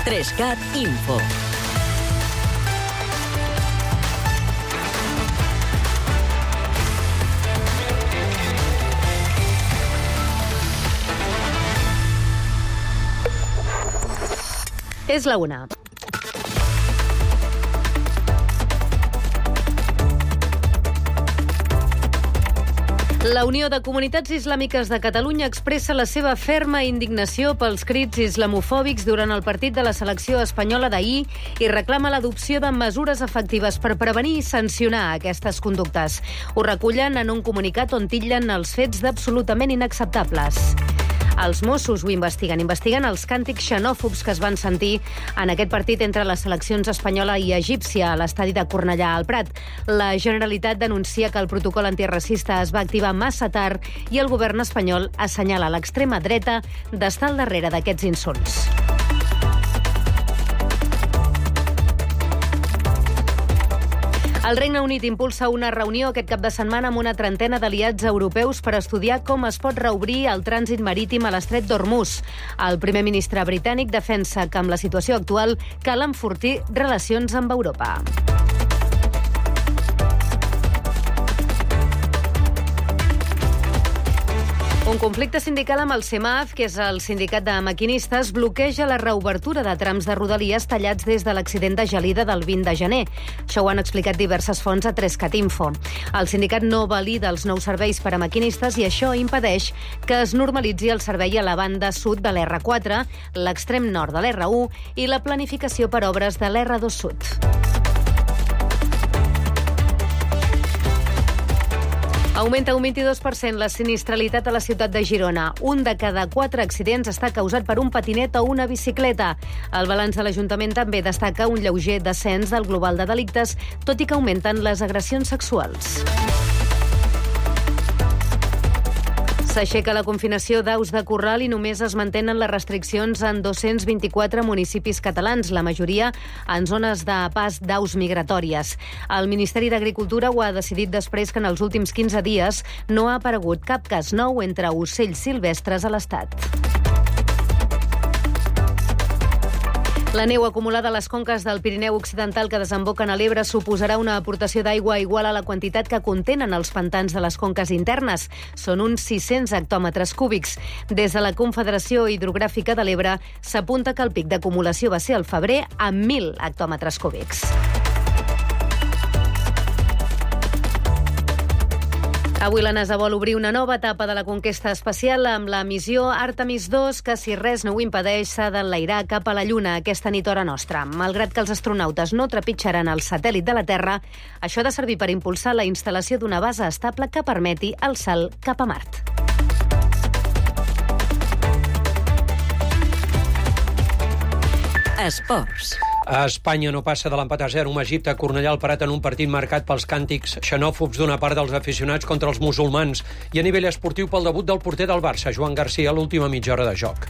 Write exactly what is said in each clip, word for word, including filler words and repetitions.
Trescat Info. És la una. La Unió de Comunitats Islàmiques de Catalunya expressa la seva ferma indignació pels crits islamofòbics durant el partit de la selecció espanyola d'ahir i reclama l'adopció de mesures efectives per prevenir i sancionar aquestes conductes. Ho recullen en un comunicat on titllen els fets d'absolutament inacceptables. Els Mossos ho investiguen. Investiguen els càntics xenòfobs que es van sentir en aquest partit entre les seleccions espanyola i egípcia a l'estadi de Cornellà al Prat. La Generalitat denuncia que el protocol antiracista es va activar massa tard i el govern espanyol assenyala l'extrema dreta d'estar al darrere d'aquests insults. El Regne Unit impulsa una reunió aquest cap de setmana amb una trentena d'aliats europeus per estudiar com es pot reobrir el trànsit marítim a l'estret d'Hormuz. El primer ministre britànic defensa que amb la situació actual cal enfortir relacions amb Europa. Un conflicte sindical amb el CEMAF, que és el sindicat de maquinistes, bloqueja la reobertura de trams de rodalies tallats des de l'accident de Gelida del vint de gener. Això ho han explicat diverses fonts a Trescat Info. El sindicat no valida els nous serveis per a maquinistes i això impedeix que es normalitzi el servei a la banda sud de l'erre quatre, l'extrem nord de l'erre u i la planificació per obres de l'erre dos sud. Augmenta un vint-i-dos per cent la sinistralitat a la ciutat de Girona. Un de cada quatre accidents està causat per un patinet o una bicicleta. El balanç de l'Ajuntament també destaca un lleuger descens del global de delictes, tot i que augmenten les agressions sexuals. S'aixeca la confinació d'aus de corral i només es mantenen les restriccions en dos-cents vint-i-quatre municipis catalans, la majoria en zones de pas d'aus migratòries. El Ministeri d'Agricultura ho ha decidit després que en els últims quinze dies no ha aparegut cap cas nou entre ocells silvestres a l'Estat. La neu acumulada a les conques del Pirineu Occidental que desemboquen a l'Ebre suposarà una aportació d'aigua igual a la quantitat que contenen els pantans de les conques internes. Són uns sis-cents hectòmetres cúbics. Des de la Confederació Hidrogràfica de l'Ebre s'apunta que el pic d'acumulació va ser al febrer amb mil hectòmetres cúbics. Avui la NASA vol obrir una nova etapa de la conquesta espacial amb la missió Artemis dos, que si res no ho impedeix s'ha d'enlairar cap a la Lluna aquesta nit hora nostra. Malgrat que els astronautes no trepitjaran el satèl·lit de la Terra, això ha de servir per impulsar la instal·lació d'una base estable que permeti el salt cap a Mart. Esports. A Espanya no passa de l'empat a zero amb Egipte a Cornellà al Prat en un partit marcat pels càntics xenòfobs d'una part dels aficionats contra els musulmans i a nivell esportiu pel debut del porter del Barça, Joan Garcia, a l'última mitja hora de joc.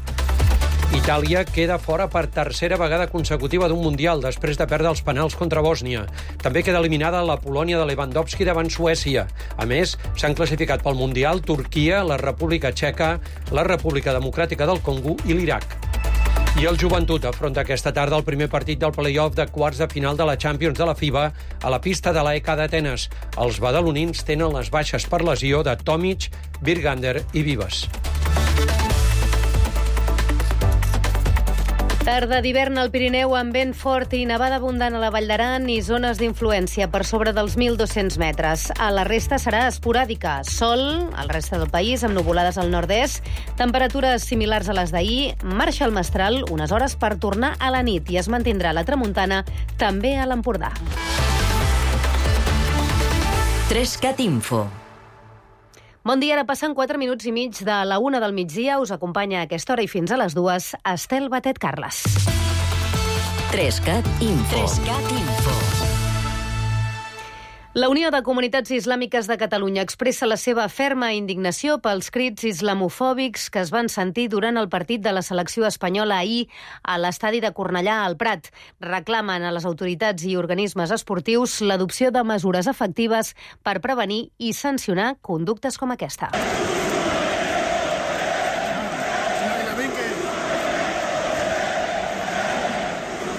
Itàlia queda fora per tercera vegada consecutiva d'un Mundial després de perdre els penals contra Bòsnia. També queda eliminada la Polònia de Lewandowski davant Suècia. A més, s'han classificat pel Mundial Turquia, la República Txeca, la República Democràtica del Congo i l'Iraq. I el Joventut afronta aquesta tarda el primer partit del play-off de quarts de final de la Champions de la FIBA a la pista de l'A E K d'Atenes. Els badalonins tenen les baixes per lesió de Tomic, Birgander i Vives. Tarda d'hivern al Pirineu amb vent fort i nevada abundant a la Vall d'Aran i zones d'influència per sobre dels mil dos-cents metres. A la resta serà esporàdica. Sol al resta del país amb nuvolades al nord-est, temperatures similars a les d'ahir, marxa el mestral unes hores per tornar a la nit i es mantindrà la tramuntana també a l'Empordà. Trescat Info. Bon dia, ara passen quatre minuts i mig de la una del migdia. Us acompanya a aquesta hora i fins a les dues Estel Batet Carles. Trescat Info. Trescat Info. La Unió de Comunitats Islàmiques de Catalunya expressa la seva ferma indignació pels crits islamofòbics que es van sentir durant el partit de la selecció espanyola ahir a l'estadi de Cornellà al Prat. Reclamen a les autoritats i organismes esportius l'adopció de mesures efectives per prevenir i sancionar conductes com aquesta.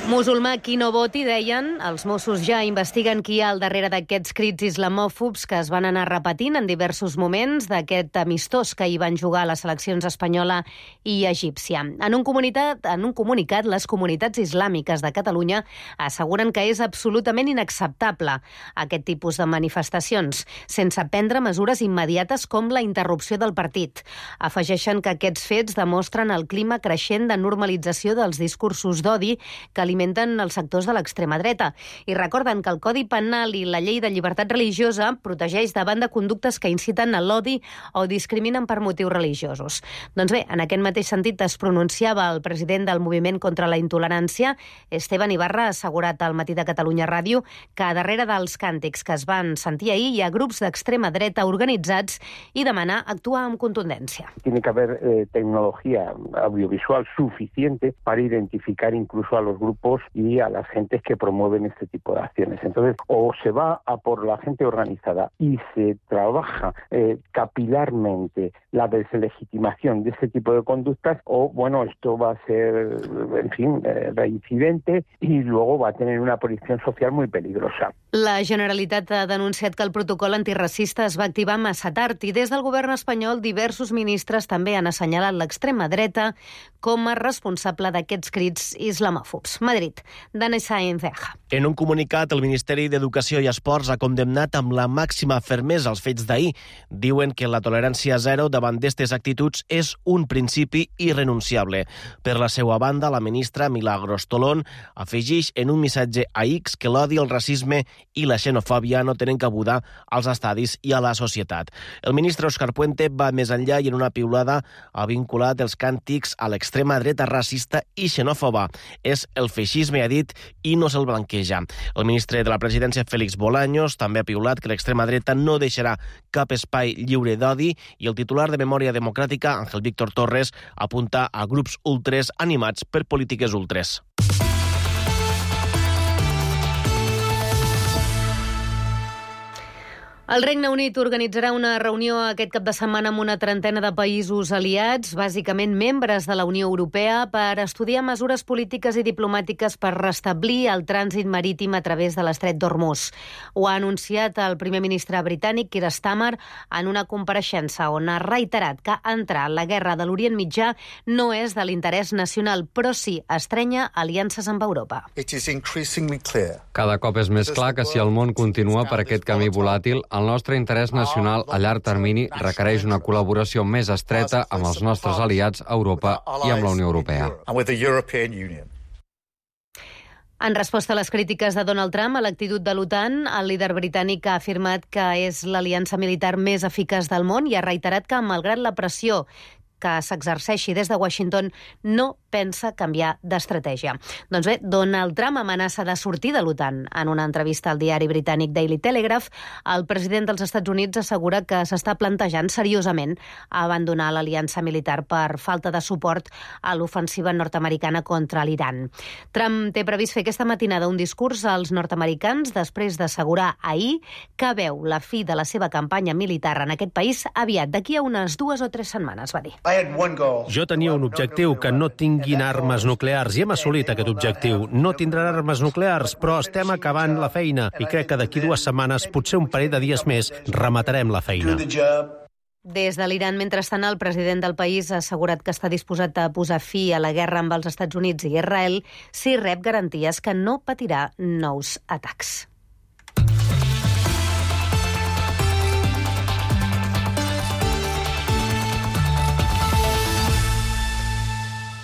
Musulmà qui no voti, deien. Els Mossos ja investiguen qui hi ha al darrere d'aquests crits islamòfobs que es van anar repetint en diversos moments d'aquest amistós que hi van jugar les seleccions espanyola i egípcia. En un, comunitat, en un comunicat, les comunitats islàmiques de Catalunya asseguren que és absolutament inacceptable aquest tipus de manifestacions, sense prendre mesures immediates com la interrupció del partit. Afegeixen que aquests fets demostren el clima creixent de normalització dels discursos d'odi que alimenten els sectors de l'extrema dreta i recorden que el Codi Penal i la Llei de Llibertat Religiosa protegeix davant de conductes que inciten a l'odi o discriminen per motius religiosos. Doncs bé, en aquest mateix sentit es pronunciava el president del Moviment contra la Intolerància, Esteban Ibarra, ha assegurat al Matí de Catalunya Ràdio que darrere dels càntics que es van sentir ahir hi ha grups d'extrema dreta organitzats i demanar actuar amb contundència. Tiene que haber eh, tecnología audiovisual suficiente para identificar incluso a los grupos y a las gentes que promueven este tipo de acciones. Entonces, o se va a por la gente organizada y se trabaja eh, capilarmente la deslegitimación de este tipo de conductas, o, bueno, esto va a ser, en fin, eh, reincidente y luego va a tener una proyección social muy peligrosa. La Generalitat ha denunciat que el protocol antiracista es va activar massa tard i des del govern espanyol diversos ministres també han assenyalat l'extrema dreta com a responsable d'aquests crits islamòfobs. Madrid, Dani Sáenz Ceja. En un comunicat, el Ministeri d'Educació i Esports ha condemnat amb la màxima fermesa els fets d'ahir. Diuen que la tolerància zero davant d'aquestes actituds és un principi irrenunciable. Per la seva banda, la ministra Milagros Tolón afegeix en un missatge a X que l'odi, el racisme i la xenofòbia no tenen cabuda als estadis i a la societat. El ministre Òscar Puente va més enllà i en una piulada ha vinculat els càntics a l'extrema dreta racista i xenòfoba. És el feixisme, ha dit, i no se'l blanqueja. El ministre de la Presidència, Félix Bolaños, també ha piulat que l'extrema dreta no deixarà cap espai lliure d'odi i el titular de Memòria Democràtica, Ángel Víctor Torres, apunta a grups ultres animats per polítiques ultres. El Regne Unit organitzarà una reunió aquest cap de setmana amb una trentena de països aliats, bàsicament membres de la Unió Europea, per estudiar mesures polítiques i diplomàtiques per restablir el trànsit marítim a través de l'estret d'Hormuz. Ho ha anunciat el primer ministre britànic, Keir Starmer, en una compareixença on ha reiterat que entrar en la guerra de l'Orient Mitjà no és de l'interès nacional, però sí estrenya aliances amb Europa. Cada cop és més clar que si el món continua per aquest camí volàtil, el nostre interès nacional a llarg termini requereix una col·laboració més estreta amb els nostres aliats a Europa i amb la Unió Europea. En resposta a les crítiques de Donald Trump a l'actitud de l'OTAN, el líder britànic ha afirmat que és l'aliança militar més eficaç del món i ha reiterat que, malgrat la pressió que s'exerceixi des de Washington, no pensa canviar d'estratègia. Doncs bé, Donald Trump amenaça de sortir de l'OTAN. En una entrevista al diari britànic Daily Telegraph, el president dels Estats Units assegura que s'està plantejant seriosament abandonar l'aliança militar per falta de suport a l'ofensiva nord-americana contra l'Iran. Trump té previst fer aquesta matinada un discurs als nord-americans després d'assegurar ahir que veu la fi de la seva campanya militar en aquest país aviat, d'aquí a unes dues o tres setmanes, va dir. Jo tenia un objectiu, que no tinguin armes nuclears, i hem assolit aquest objectiu. No tindran armes nuclears, però estem acabant la feina, i crec que d'aquí dues setmanes, potser un parell de dies més, rematarem la feina. Des de l'Iran, mentrestant, el president del país ha assegurat que està disposat a posar fi a la guerra amb els Estats Units i Israel si rep garanties que no patirà nous atacs.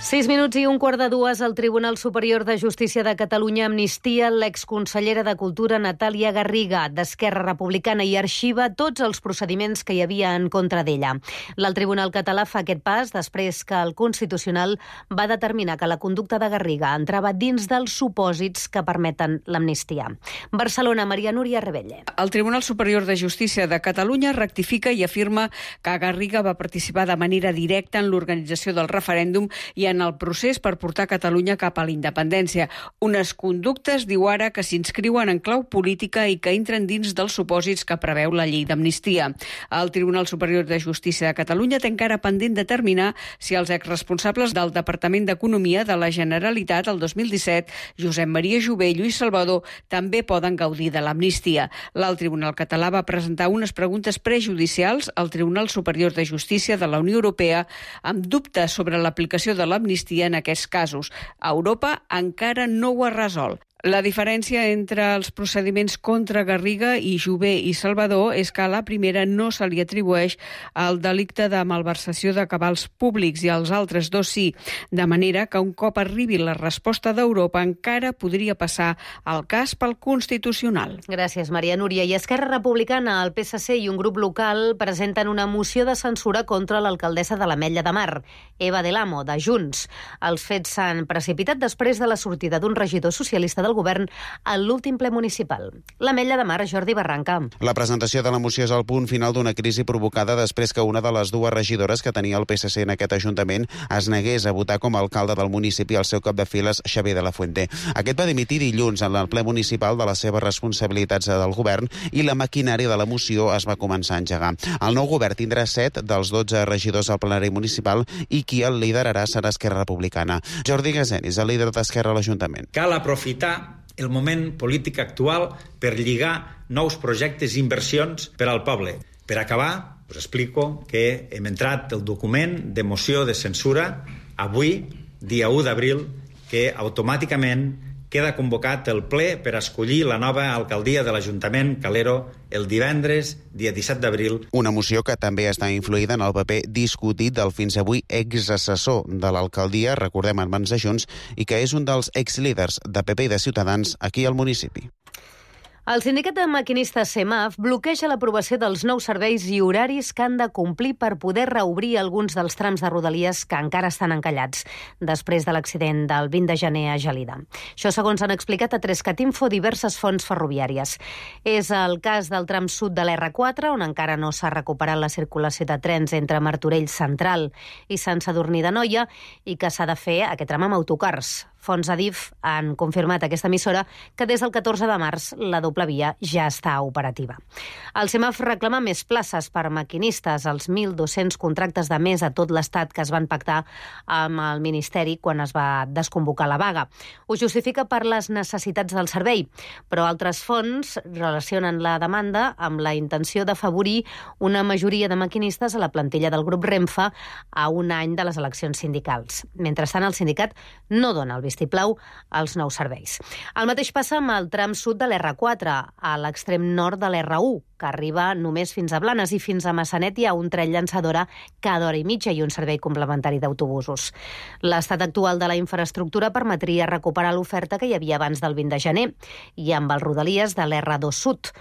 Sis minuts i un quart de dues, el Tribunal Superior de Justícia de Catalunya amnistia l'exconsellera de Cultura Natàlia Garriga, d'Esquerra Republicana, i arxiva tots els procediments que hi havia en contra d'ella. El Tribunal català fa aquest pas després que el Constitucional va determinar que la conducta de Garriga entrava dins dels supòsits que permeten l'amnistia. Barcelona, Maria Núria Rebelle. El Tribunal Superior de Justícia de Catalunya rectifica i afirma que Garriga va participar de manera directa en l'organització del referèndum i en el procés per portar Catalunya cap a la independència. Unes conductes, diu ara, que s'inscriuen en clau política i que entren dins dels supòsits que preveu la llei d'amnistia. El Tribunal Superior de Justícia de Catalunya té encara pendent determinar si els exresponsables del Departament d'Economia de la Generalitat el dos mil disset, Josep Maria Jové i Lluís Salvador, també poden gaudir de l'amnistia. L'alt Tribunal català va presentar unes preguntes prejudicials al Tribunal Superior de Justícia de la Unió Europea amb dubtes sobre l'aplicació de l'amnistia en aquests casos. Europa encara no ho ha resolt. La diferència entre els procediments contra Garriga i Jové i Salvador és que a la primera no se li atribueix el delicte de malversació de cabals públics i als altres dos sí, de manera que un cop arribi la resposta d'Europa encara podria passar el cas pel Constitucional. Gràcies, Maria Núria. I Esquerra Republicana, el P S C i un grup local presenten una moció de censura contra l'alcaldessa de l'Ametlla de Mar, Eva Del Amo, de Junts. Els fets s'han precipitat després de la sortida d'un regidor socialista del govern a l'últim ple municipal. L'Ametlla de Mar, Jordi Barranca. La presentació de la moció és el punt final d'una crisi provocada després que una de les dues regidores que tenia el P S C en aquest ajuntament es negués a votar com a alcalde del municipi al seu cap de files, Xavier de la Fuente. Aquest va dimitir dilluns en el ple municipal de les seves responsabilitats del govern i la maquinària de la moció es va començar a engegar. El nou govern tindrà set dels dotze regidors al plenari municipal i qui el liderarà serà Esquerra Republicana. Jordi Gazenis, el líder d'Esquerra a l'Ajuntament. Cal aprofitar el moment polític actual per lligar nous projectes i inversions per al poble. Per acabar, us explico que hem entrat el document de moció de censura avui, dia u d'abril, que automàticament queda convocat el ple per escollir la nova alcaldia de l'Ajuntament Calero el divendres, dia disset d'abril. Una moció que també està influïda en el paper discutit del fins avui exassessor de l'alcaldia, recordem en mans de Junts, i que és un dels exlíders de P P i de Ciutadans aquí al municipi. El sindicat de maquinistes CEMAF bloqueja l'aprovació dels nous serveis i horaris que han de complir per poder reobrir alguns dels trams de Rodalies que encara estan encallats després de l'accident del vint de gener a Gelida. Això segons han explicat a Trescat Info diverses fonts ferroviàries. És el cas del tram sud de l'erre quatre, on encara no s'ha recuperat la circulació de trens entre Martorell Central i Sant Sadurní d'Anoia i que s'ha de fer aquest tram amb autocars. Fonts Adif han confirmat a aquesta emissora que des del catorze de març la doble via ja està operativa. El CEMAF reclama més places per maquinistes, els mil dos-cents contractes de més a tot l'Estat que es van pactar amb el Ministeri quan es va desconvocar la vaga. Ho justifica per les necessitats del servei, però altres fonts relacionen la demanda amb la intenció d'afavorir una majoria de maquinistes a la plantilla del grup Renfe a un any de les eleccions sindicals. Mentrestant, el sindicat no dona el vistiplau als nous serveis. El mateix passa amb el tram sud de l'erre quatre, a l'extrem nord de l'erre u, que arriba només fins a Blanes, i fins a Massanet hi ha un tren llançadora cada hora i mitja i un servei complementari d'autobusos. L'estat actual de la infraestructura permetria recuperar l'oferta que hi havia abans del vint de gener i amb els Rodalies de l'erre dos sud.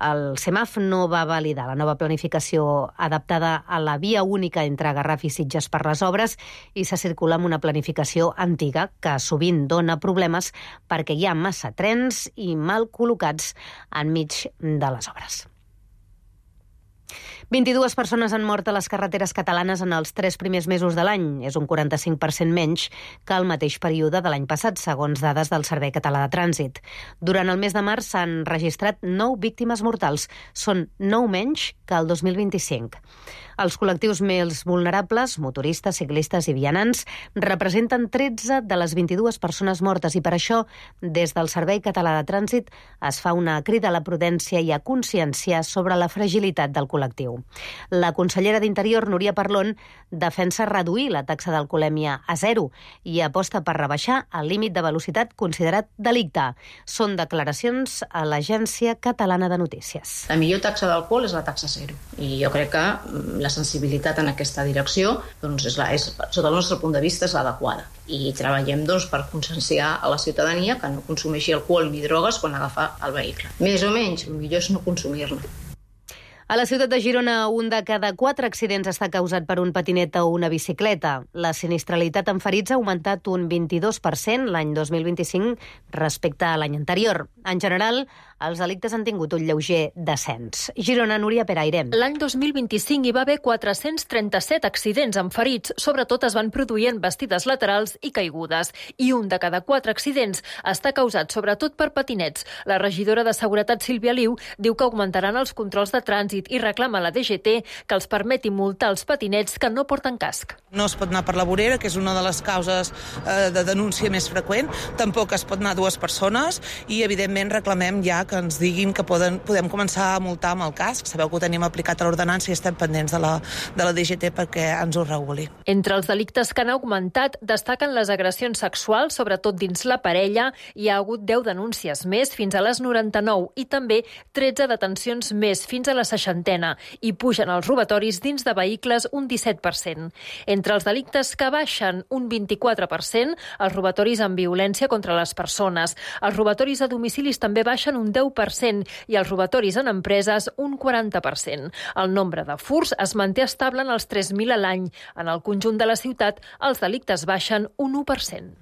El CEMAF no va validar la nova planificació adaptada a la via única entre Garraf i Sitges per les obres i se circula amb una planificació antiga que sovint dona problemes perquè hi ha massa trens i mal col·locats enmig de les obres. vint-i-dues persones han mort a les carreteres catalanes en els tres primers mesos de l'any. És un quaranta-cinc per cent menys que el mateix període de l'any passat, segons dades del Servei Català de Trànsit. Durant el mes de març s'han registrat nou víctimes mortals. Són nou menys que el dos mil vint-i-cinc. Els col·lectius més vulnerables, motoristes, ciclistes i vianants, representen tretze de les vint-i-dues persones mortes i per això, des del Servei Català de Trànsit, es fa una crida a la prudència i a conscienciar sobre la fragilitat del col·lectiu. La consellera d'Interior, Núria Parlon, defensa reduir la taxa d'alcoholèmia a zero i aposta per rebaixar el límit de velocitat considerat delicte. Són declaracions a l'Agència Catalana de Notícies. La millor taxa d'alcohol és la taxa zero i jo crec que la sensibilitat en aquesta direcció, doncs, és la, és, sota el nostre punt de vista, és l'adequada. I treballem doncs, per conscienciar a la ciutadania que no consumeixi alcohol ni drogues quan agafa el vehicle. Més o menys, el millor és no consumir-ne. A la ciutat de Girona, un de cada quatre accidents està causat per un patinet o una bicicleta. La sinistralitat en ferits ha augmentat un vint-i-dos per cent l'any dos mil vint-i-cinc respecte a l'any anterior. En general, els delictes han tingut un lleuger descens. Girona, Núria Peraire. L'any dos mil vint-i-cinc hi va haver quatre-cents trenta-set accidents amb ferits. Sobretot es van produir en bastides laterals i caigudes. I un de cada quatre accidents està causat sobretot per patinets. La regidora de Seguretat, Sílvia Liu, diu que augmentaran els controls de trànsit i reclama a la D G T que els permeti multar els patinets que no porten casc. No es pot anar per la vorera, que és una de les causes eh, de denúncia més freqüent. Tampoc es pot anar dues persones i, evidentment, reclamem ja que ens diguin que poden, podem començar a multar amb el casc. Sabeu que ho tenim aplicat a l'ordenança i estem pendents de la, de la D G T perquè ens ho reguli. Entre els delictes que han augmentat destaquen les agressions sexuals, sobretot dins la parella. Hi ha hagut deu denúncies més, fins a les noranta-nou, i també tretze detencions més, fins a la seixantena, i pugen els robatoris dins de vehicles un disset per cent. Entre els delictes que baixen un vint-i-quatre per cent, els robatoris amb violència contra les persones. Els robatoris a domicilis també baixen un deu per cent i els robatoris en empreses un quaranta per cent. El nombre de furts es manté estable en els tres mil a l'any. En el conjunt de la ciutat, els delictes baixen un u per cent.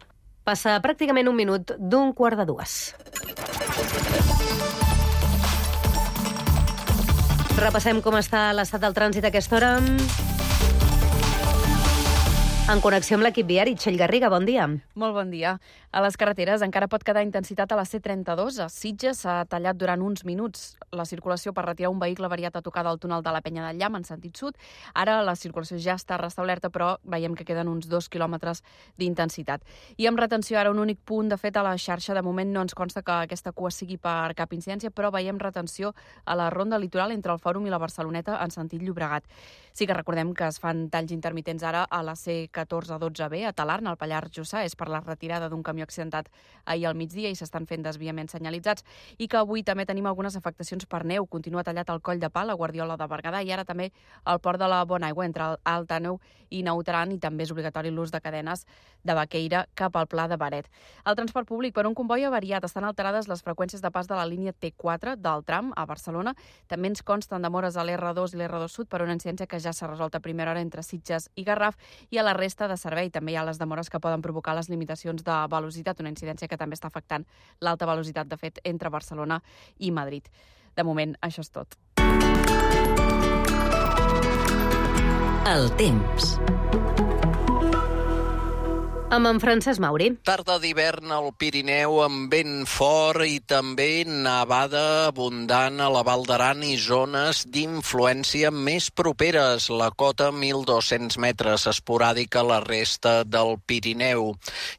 Passa pràcticament un minut d'un quart de dues. Repassem com està l'estat del trànsit a aquesta hora. En connexió amb l'equip viari, Txell Garriga, bon dia. Molt bon dia. A les carreteres encara pot quedar intensitat a la C trenta-dos. A Sitges s'ha tallat durant uns minuts la circulació per retirar un vehicle variat a tocar del túnel de la Penya del Llamp en sentit sud. Ara la circulació ja està restablerta, però veiem que queden uns dos quilòmetres d'intensitat. I amb retenció ara un únic punt, de fet, a la xarxa. De moment no ens consta que aquesta cua sigui per cap incidència, però veiem retenció a la ronda litoral entre el Fòrum i la Barceloneta en sentit Llobregat. Sí que recordem que es fan talls intermitents ara a la C catorze dotze B a Talarn, al Pallars Jussà. És per la retirada d'un camió accidentat ahir al migdia i s'estan fent desviaments senyalitzats. I que avui també tenim algunes afectacions per neu. Continua tallat el Coll de Pal, a Guardiola de Berguedà, i ara també al Port de la Bonaigua, entre Alt Àneu i Nautaran, i també és obligatori l'ús de cadenes de Baqueira cap al Pla de Baret. El transport públic per un comboi avariat. Estan alterades les freqüències de pas de la línia T quatre del tram a Barcelona. També ens consten demores a l'R dos i l'R dos Sud per una incidència que ja s'ha resolt a primera hora entre Sitges i Garraf, i a la resta de servei també hi ha les demores que poden provocar les limitacions de velocitat, una incidència que també està afectant l'alta velocitat, de fet, entre Barcelona i Madrid. De moment, això és tot. El temps. Amb en Francesc Mauri. Tarda d'hivern al Pirineu amb vent fort i també nevada abundant a la Val d'Aran i zones d'influència més properes. La cota mil dos-cents metres, esporàdica a la resta del Pirineu.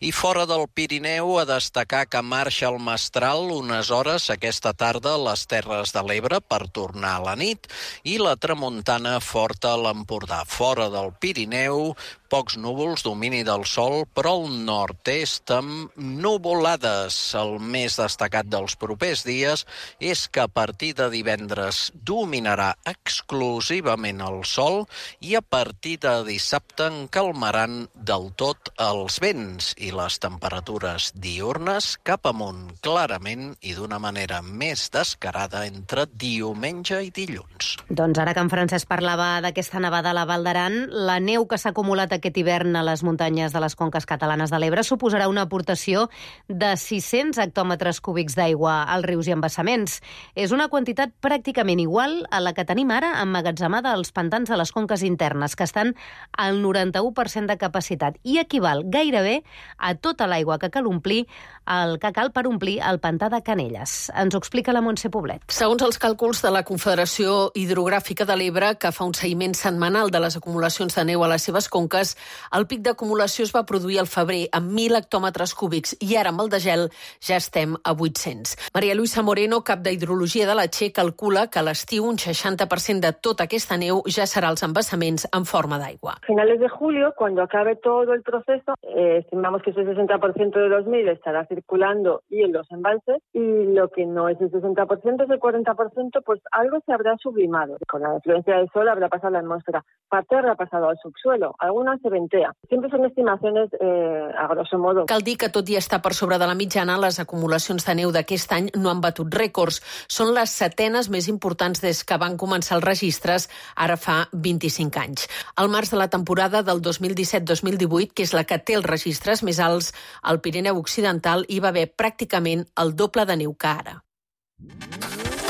I fora del Pirineu, a destacar que marxa el mestral unes hores aquesta tarda a les Terres de l'Ebre per tornar a la nit, i la tramuntana forta a l'Empordà. Fora del Pirineu, pocs núvols, domini del sol, però al nord-est amb nuvolades. El més destacat dels propers dies és que a partir de divendres dominarà exclusivament el sol i a partir de dissabte en calmaran del tot els vents i les temperatures diürnes cap amunt clarament i d'una manera més descarada entre diumenge i dilluns. Doncs ara que en Francesc parlava d'aquesta nevada a la Val d'Aran, la neu que s'ha acumulat aquest hivern a les muntanyes de les conques catalanes de l'Ebre suposarà una aportació de sis-cents hectòmetres cúbics d'aigua als rius i embassaments. És una quantitat pràcticament igual a la que tenim ara emmagatzemada als pantans de les conques internes, que estan al noranta-u per cent de capacitat, i equival gairebé a tota l'aigua que cal omplir el que cal per omplir el pantà de Canelles. Ens ho explica la Montse Poblet. Segons els càlculs de la Confederació Hidrogràfica de l'Ebre, que fa un seguiment setmanal de les acumulacions de neu a les seves conques, el pic d'acumulació es va produir al febrer amb mil hectòmetres cúbics i ara amb el degel ja estem a vuit-cents. Maria Luisa Moreno, cap d'Hidrologia de la Che, calcula que a l'estiu un seixanta per cent de tota aquesta neu ja serà als embassaments en forma d'aigua. A finales de julio, cuando acabe todo el proceso, eh, estimamos que ese sesenta por ciento de los mil estará circulando y en los embalses, y lo que no es el sesenta por ciento, es el cuarenta por ciento, pues algo se habrá sublimado. Con la influencia del sol habrá pasado a la atmósfera, parte habrá pasado al subsuelo, algunas se ventea. Siempre son estimaciones eh, a grosso modo. Cal dir que tot i estar per sobre de la mitjana, les acumulacions de neu d'aquest any no han batut rècords. Són les setenes més importants des que van començar els registres, ara fa vint-i-cinc anys. Al març de la temporada del dos mil disset dos mil divuit, que és la que té els registres més alts, al Pirineu Occidental hi va haver pràcticament el doble de neu que ara.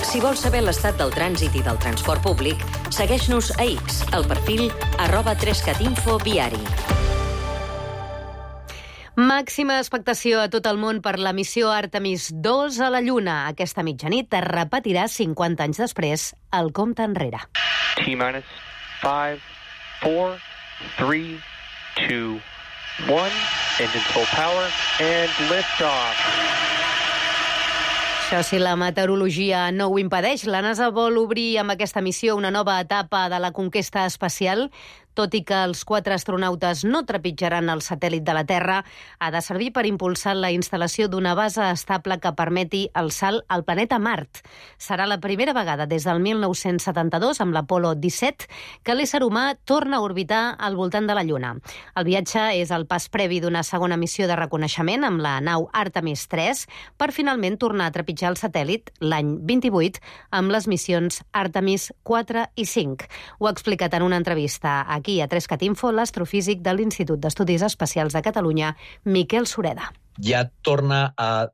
Si vols saber l'estat del trànsit i del transport públic, segueix-nos a X, al perfil arroba trescatinfo viari. Màxima expectació a tot el món per la missió Artemis dos a la Lluna. Aquesta mitjanit es repetirà cinquanta anys després el compte enrere. T-minus five, four, three, two, one. Engine full power and lift off. Això si la meteorologia no ho impedeix, la NASA vol obrir amb aquesta missió una nova etapa de la conquesta espacial. Tot i que els quatre astronautes no trepitjaran el satèl·lit de la Terra, ha de servir per impulsar la instal·lació d'una base estable que permeti el salt al planeta Mart. Serà la primera vegada des del mil nou-cents setanta-dos, amb l'Apolo disset, que l'ésser humà torna a orbitar al voltant de la Lluna. El viatge és el pas previ d'una segona missió de reconeixement amb la nau Artemis tres per finalment tornar a trepitjar el satèl·lit l'any vint-i-vuit amb les missions Artemis quatre i cinc. Ho ha explicat en una entrevista a Aquí a Trescatinfo, l'astrofísic de l'Institut d'Estudis Espacials de Catalunya, Miquel Sureda. Ja torna a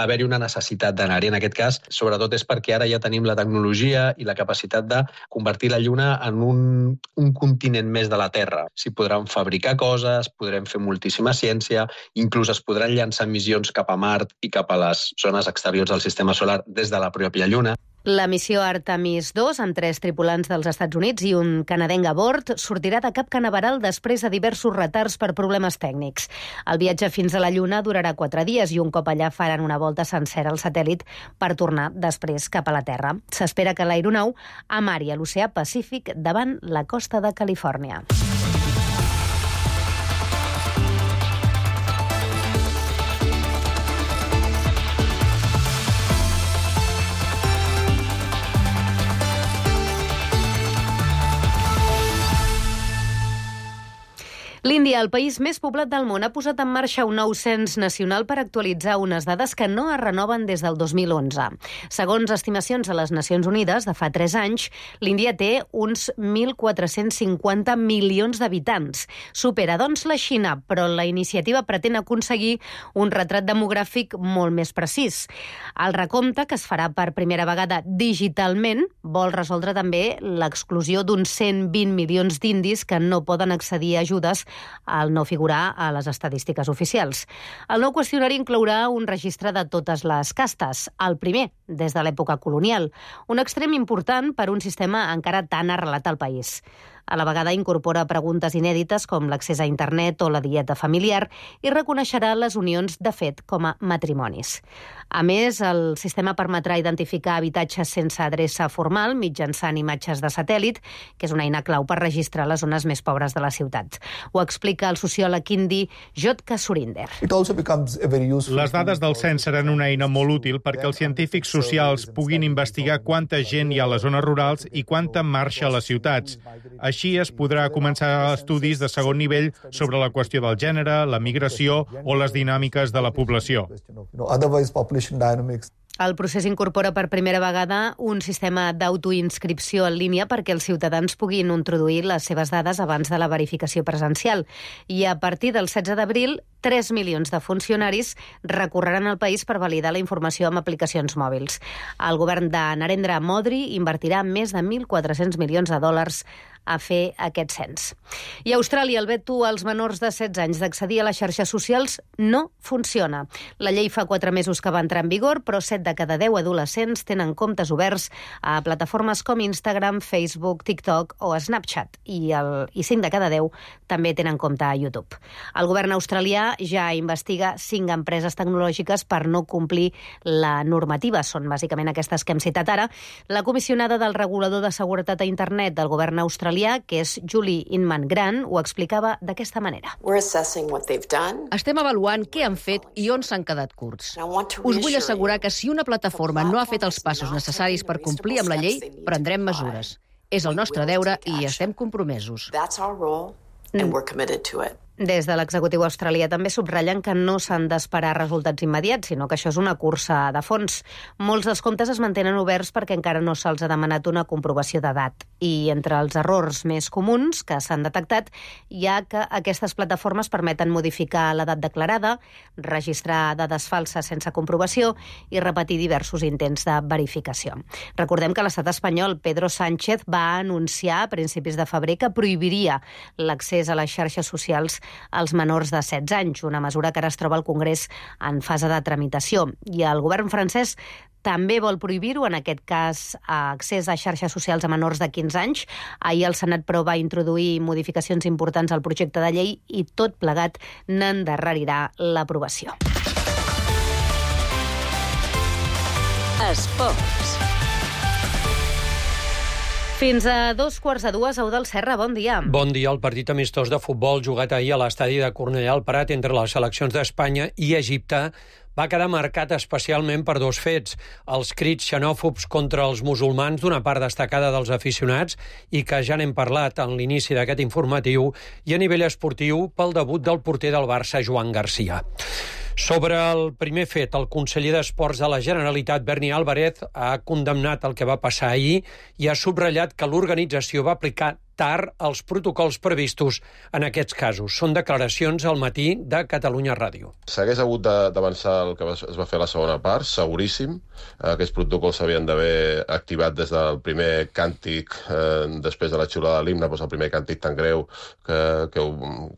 haver-hi una necessitat d'anar-hi. En aquest cas, sobretot és perquè ara ja tenim la tecnologia i la capacitat de convertir la Lluna en un, un continent més de la Terra. S'hi podran fabricar coses, podrem fer moltíssima ciència, inclús es podran llançar missions cap a Mart i cap a les zones exteriors del sistema solar des de la pròpia Lluna. La missió Artemis dos, amb tres tripulants dels Estats Units i un canadenc a bord, sortirà de Cap Canaveral després de diversos retards per problemes tècnics. El viatge fins a la Lluna durarà quatre dies i un cop allà faran una volta sencera al satèl·lit per tornar després cap a la Terra. S'espera que l'aeronau amari a l'oceà Pacífic davant la costa de Califòrnia. L'Índia, el país més poblat del món, ha posat en marxa un nou cens nacional per actualitzar unes dades que no es renoven des del dos mil onze. Segons estimacions de les Nacions Unides de fa tres anys, l'Índia té uns mil quatre-cents cinquanta milions d'habitants. Supera, doncs, la Xina, però la iniciativa pretén aconseguir un retrat demogràfic molt més precís. El recompte, que es farà per primera vegada digitalment, vol resoldre també l'exclusió d'uns cent vint milions d'indis que no poden accedir a ajudes al no figurar a les estadístiques oficials. El nou qüestionari inclourà un registre de totes les castes, el primer des de l'època colonial, un extrem important per un sistema encara tan arrelat al país. A la vegada incorpora preguntes inèdites com l'accés a internet o la dieta familiar i reconeixerà les unions de fet com a matrimonis. A més, el sistema permetrà identificar habitatges sense adreça formal mitjançant imatges de satèl·lit, que és una eina clau per registrar les zones més pobres de la ciutat. Ho explica el sociòleg indi Jotka Surinder. Les dades del cens seran una eina molt útil perquè els científics socials puguin investigar quanta gent hi ha a les zones rurals i quanta marxa a les ciutats. Així es podrà començar estudis de segon nivell sobre la qüestió del gènere, la migració o les dinàmiques de la població. El procés incorpora per primera vegada un sistema d'autoinscripció en línia perquè els ciutadans puguin introduir les seves dades abans de la verificació presencial. I a partir del setze d'abril, tres milions de funcionaris recorreran al país per validar la informació amb aplicacions mòbils. El govern de Narendra Modi invertirà més de mil quatre-cents milions de dòlars a fer aquest cens. I a Austràlia, el veto als menors de setze anys d'accedir a les xarxes socials no funciona. La llei fa quatre mesos que va entrar en vigor, però set de cada deu adolescents tenen comptes oberts a plataformes com Instagram, Facebook, TikTok o Snapchat, i, el, i cinc de cada deu també tenen compte a YouTube. El govern australià ja investiga cinc empreses tecnològiques per no complir la normativa. Són bàsicament aquestes que hem citat ara. La comissionada del regulador de seguretat a internet del govern australià, que és Julie Inman-Grant, ho explicava d'aquesta manera. Estem avaluant què han fet i on s'han quedat curts. Us vull assegurar que si una plataforma no ha fet els passos necessaris per complir amb la llei, prendrem mesures. És el nostre deure i estem compromesos. Des de l'executiu australià també subratllen que no s'han d'esperar resultats immediats, sinó que això és una cursa de fons. Molts dels comptes es mantenen oberts perquè encara no se'ls ha demanat una comprovació d'edat. I entre els errors més comuns que s'han detectat hi ha que aquestes plataformes permeten modificar l'edat declarada, registrar dades falses sense comprovació i repetir diversos intents de verificació. Recordem que l'estat espanyol, Pedro Sánchez, va anunciar a principis de febrer que prohibiria l'accés a les xarxes socials als menors de setze anys, una mesura que ara es troba al Congrés en fase de tramitació. I el govern francès també vol prohibir-ho, en aquest cas, accés a xarxes socials a menors de quinze anys. Ahir el Senat, però, va introduir modificacions importants al projecte de llei i tot plegat n'endarrerirà l'aprovació. Esports. Fins a dos quarts de dues, Eudald Serra, bon dia. Bon dia. El partit amistós de futbol jugat ahir a l'estadi de Cornellà al Prat entre les seleccions d'Espanya i Egipte va quedar marcat especialment per dos fets: els crits xenòfobs contra els musulmans d'una part destacada dels aficionats, i que ja n'hem parlat en l'inici d'aquest informatiu, i a nivell esportiu pel debut del porter del Barça, Joan Garcia. Sobre el primer fet, el conseller d'Esports de la Generalitat, Berni Álvarez, ha condemnat el que va passar ahir i ha subratllat que l'organització va aplicar tard els protocols previstos en aquests casos. Són declaracions al matí de Catalunya Ràdio. S'hagués hagut d'avançar el que es va fer a la segona part, seguríssim. Aquests protocols s'havien d'haver activat des del primer càntic, eh, després de la xiulada de l'himne, doncs el primer càntic tan greu que, que,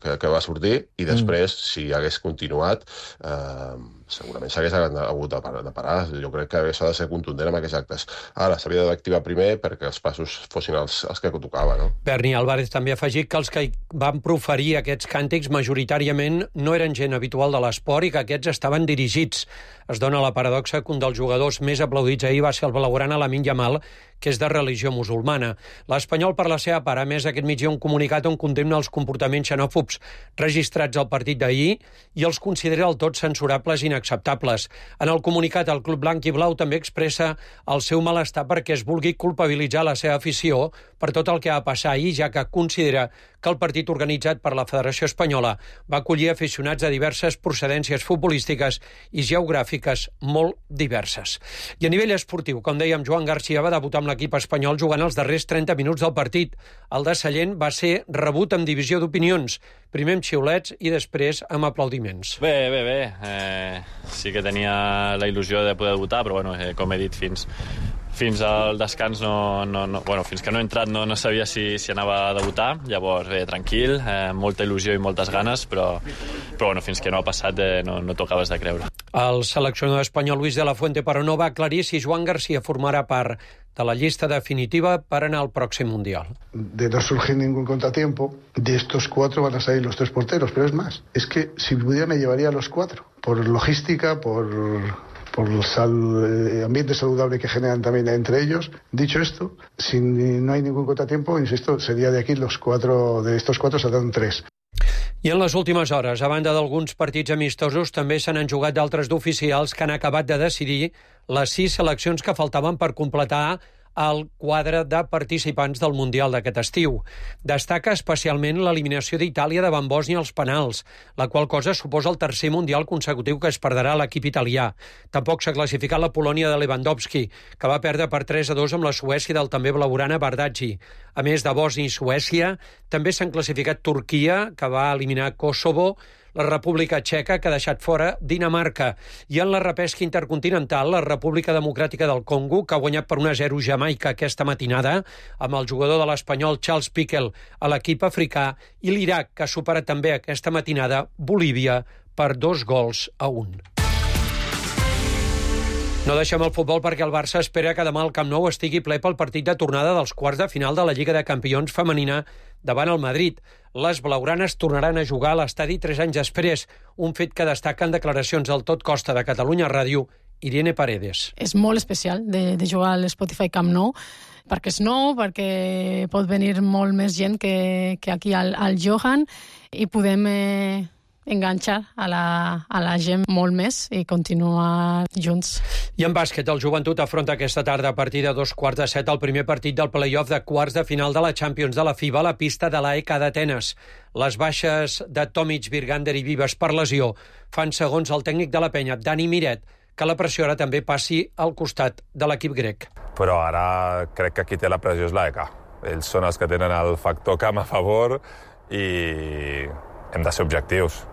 que, que va sortir, i després, mm. si hagués continuat, eh, segurament s'hagués hagut de parar. Jo crec que s'ha de ser contundent amb aquests actes. Ara, s'havia d'activar primer perquè els passos fossin els, els que tocava, no? Berni Álvarez també ha afegit que els que van proferir aquests càntics majoritàriament no eren gent habitual de l'esport i que aquests estaven dirigits. Es dona la paradoxa que un dels jugadors més aplaudits ahir va ser el blaugrana Lamine Yamal, que és de religió musulmana. L'Espanyol, per la seva part, a més, aquest migdia un comunicat on condemna els comportaments xenòfobs registrats al partit d'ahir i els considera del tot censurables i inacceptables. En el comunicat, el club blanc i blau també expressa el seu malestar perquè es vulgui culpabilitzar la seva afició per tot el que va passar ahir, ja que considera que el partit organitzat per la Federació Espanyola va acollir aficionats de diverses procedències futbolístiques i geogràfiques molt diverses. I a nivell esportiu, com dèiem, Joan Garcia va debutar amb l'equip espanyol jugant els darrers trenta minuts del partit. El de Sallent va ser rebut amb divisió d'opinions, primer amb xiulets i després amb aplaudiments. Bé, bé, bé. Eh, sí que tenia la il·lusió de poder debutar, però bueno, eh, com he dit, fins, fins al descans, no, no, no, bueno, fins que no he entrat no, no sabia si, si anava a debutar. Llavors, bé, tranquil, eh, molta il·lusió i moltes ganes, però, però bueno, fins que no ha passat eh, no, no tocaves de creure. El seleccionador espanyol Luis de la Fuente, però, no va aclarir si Joan Garcia formarà part de la lista definitiva per anar al pròxim Mundial. De no surgir ningún contratiempo, de estos cuatro van a salir los tres porteros, pero es más, es que si pudiera me llevaría a los cuatro, por logística, por... por el sal, ambiente saludable que generan también entre ellos. Dicho esto, si no hay ningún contratiempo, insisto, sería de aquí los cuatro, de estos cuatro saldrán tres. I en les últimes hores, a banda d'alguns partits amistosos, també se n'han jugat d'altres d'oficials que han acabat de decidir les sis seleccions que faltaven per completar el quadre de participants del Mundial d'aquest estiu. Destaca especialment l'eliminació d'Itàlia davant Bòsnia als penals, la qual cosa suposa el tercer Mundial consecutiu que es perdrà l'equip italià. Tampoc s'ha classificat la Polònia de Lewandowski, que va perdre per tres a dos amb la Suècia del també blaugrana Bardghji. A més de Bòsnia i Suècia, també s'han classificat Turquia, que va eliminar Kosovo, la República Txeca, que ha deixat fora Dinamarca, i en la repesca intercontinental, la República Democràtica del Congo, que ha guanyat per un a zero Jamaica aquesta matinada, amb el jugador de l'Espanyol Charles Piquel a l'equip africà, i l'Iraq, que ha superat també aquesta matinada Bolívia per dos gols a un. No deixem el futbol perquè el Barça espera que demà al Camp Nou estigui ple pel partit de tornada dels quarts de final de la Lliga de Campions femenina davant el Madrid. Les blaugranes tornaran a jugar a l'estadi tres anys després, un fet que destaca en declaracions del Tot Costa de Catalunya Ràdio, Irene Paredes. És molt especial de, de jugar a l'Spotify Camp Nou, perquè és nou, perquè pot venir molt més gent que, que aquí al, al Johan, i podem... Eh... enganxar a la, a la gent molt més i continuar junts. I en bàsquet, el Joventut afronta aquesta tarda a partir de dos quarts de set el primer partit del play-off de quarts de final de la Champions de la FIBA a la pista de l'A E K d'Atenes. Les baixes de Tomic, Virgander i Vives per lesió fan, segons el tècnic de la penya, Dani Miret, que la pressió ara també passi al costat de l'equip grec. Però ara crec que qui té la pressió és l'A E K. Ells són els que tenen el factor camp a favor i hem de ser objectius.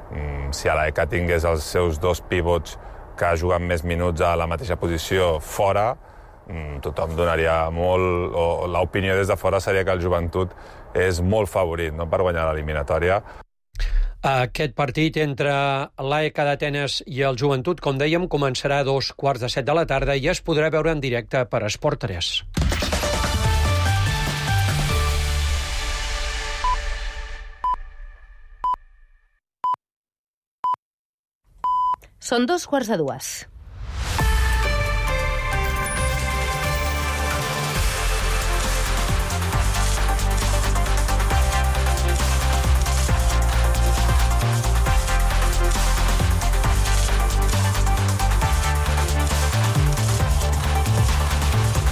Si a l'A E K tingués els seus dos pivots que juguen més minuts a la mateixa posició fora, tothom donaria molt... o l'opinió des de fora seria que el Joventut és molt favorit, no?, per guanyar l'eliminatòria. Aquest partit entre l'A E K d'Atenes i el Joventut, com dèiem, començarà a dos quarts de set de la tarda i es podrà veure en directe per Esport tres. Són dos quarts de dues.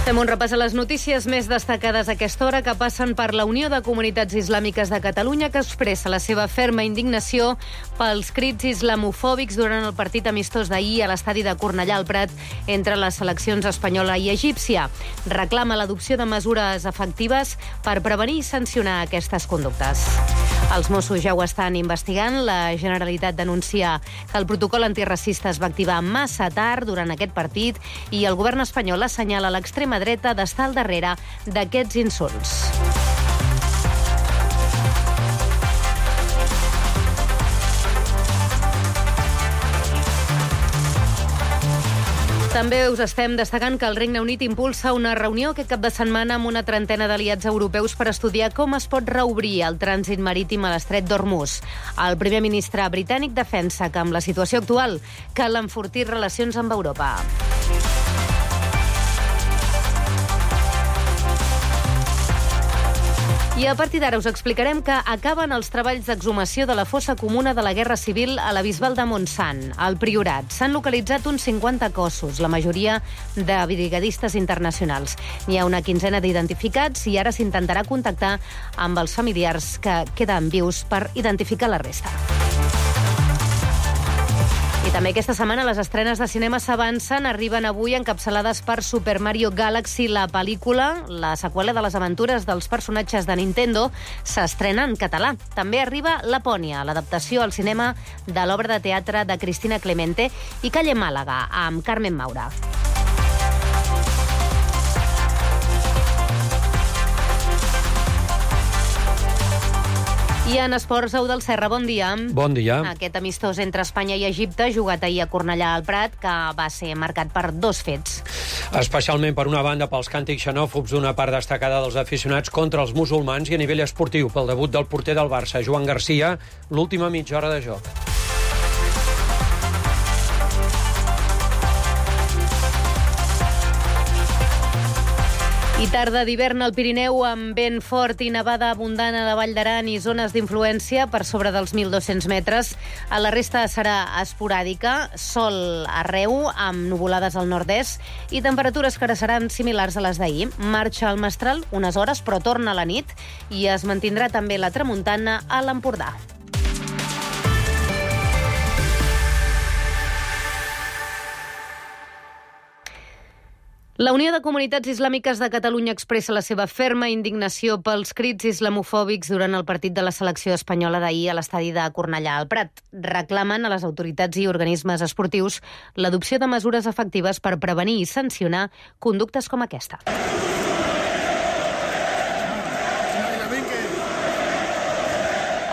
Fem un repàs a les notícies més destacades a aquesta hora que passen per la Unió de Comunitats Islàmiques de Catalunya, que expressa la seva ferma indignació pels crits islamofòbics durant el partit amistós d'ahir a l'estadi de Cornellà al Prat entre les seleccions espanyola i egípcia. Reclama l'adopció de mesures efectives per prevenir i sancionar aquestes conductes. Els Mossos ja ho estan investigant. La Generalitat denuncia que el protocol antiracista es va activar massa tard durant aquest partit i el govern espanyol assenyala l'extrema dreta d'estar al darrere d'aquests insults. També us estem destacant que el Regne Unit impulsa una reunió aquest cap de setmana amb una trentena d'aliats europeus per estudiar com es pot reobrir el trànsit marítim a l'estret d'Hormuz. El primer ministre britànic defensa que amb la situació actual cal enfortir relacions amb Europa. I a partir d'ara us explicarem que acaben els treballs d'exhumació de la fossa comuna de la Guerra Civil a la Bisbal de Montsant, al Priorat. S'han localitzat uns cinquanta cossos, la majoria de brigadistes internacionals. N'hi ha una quinzena d'identificats i ara s'intentarà contactar amb els familiars que queden vius per identificar la resta. I també aquesta setmana les estrenes de cinema s'avancen, arriben avui encapçalades per Super Mario Galaxy, la pel·lícula, la seqüela de les aventures dels personatges de Nintendo, s'estrena en català. També arriba Lapònia, l'adaptació al cinema de l'obra de teatre de Cristina Clemente, i Calle Màlaga, amb Carmen Maura. I en esports, Au del Serra, bon dia. Bon dia. Aquest amistós entre Espanya i Egipte, jugat ahir a Cornellà al Prat, que va ser marcat per dos fets. Especialment, per una banda, pels càntics xenòfobs d'una part destacada dels aficionats contra els musulmans i a nivell esportiu, pel debut del porter del Barça, Joan Garcia, l'última mitja hora de joc. I tarda d'hivern al Pirineu amb vent fort i nevada abundant a la Vall d'Aran i zones d'influència per sobre dels mil dos-cents metres. A la resta serà esporàdica, sol arreu amb nuvolades al nord-est i temperatures que ara seran similars a les d'ahir. Marxa el mestral unes hores, però torna a la nit i es mantindrà també la tramuntana a l'Empordà. La Unió de Comunitats Islàmiques de Catalunya expressa la seva ferma indignació pels crits islamofòbics durant el partit de la selecció espanyola d'ahir a l'estadi de Cornellà al Prat. Reclamen a les autoritats i organismes esportius l'adopció de mesures efectives per prevenir i sancionar conductes com aquesta.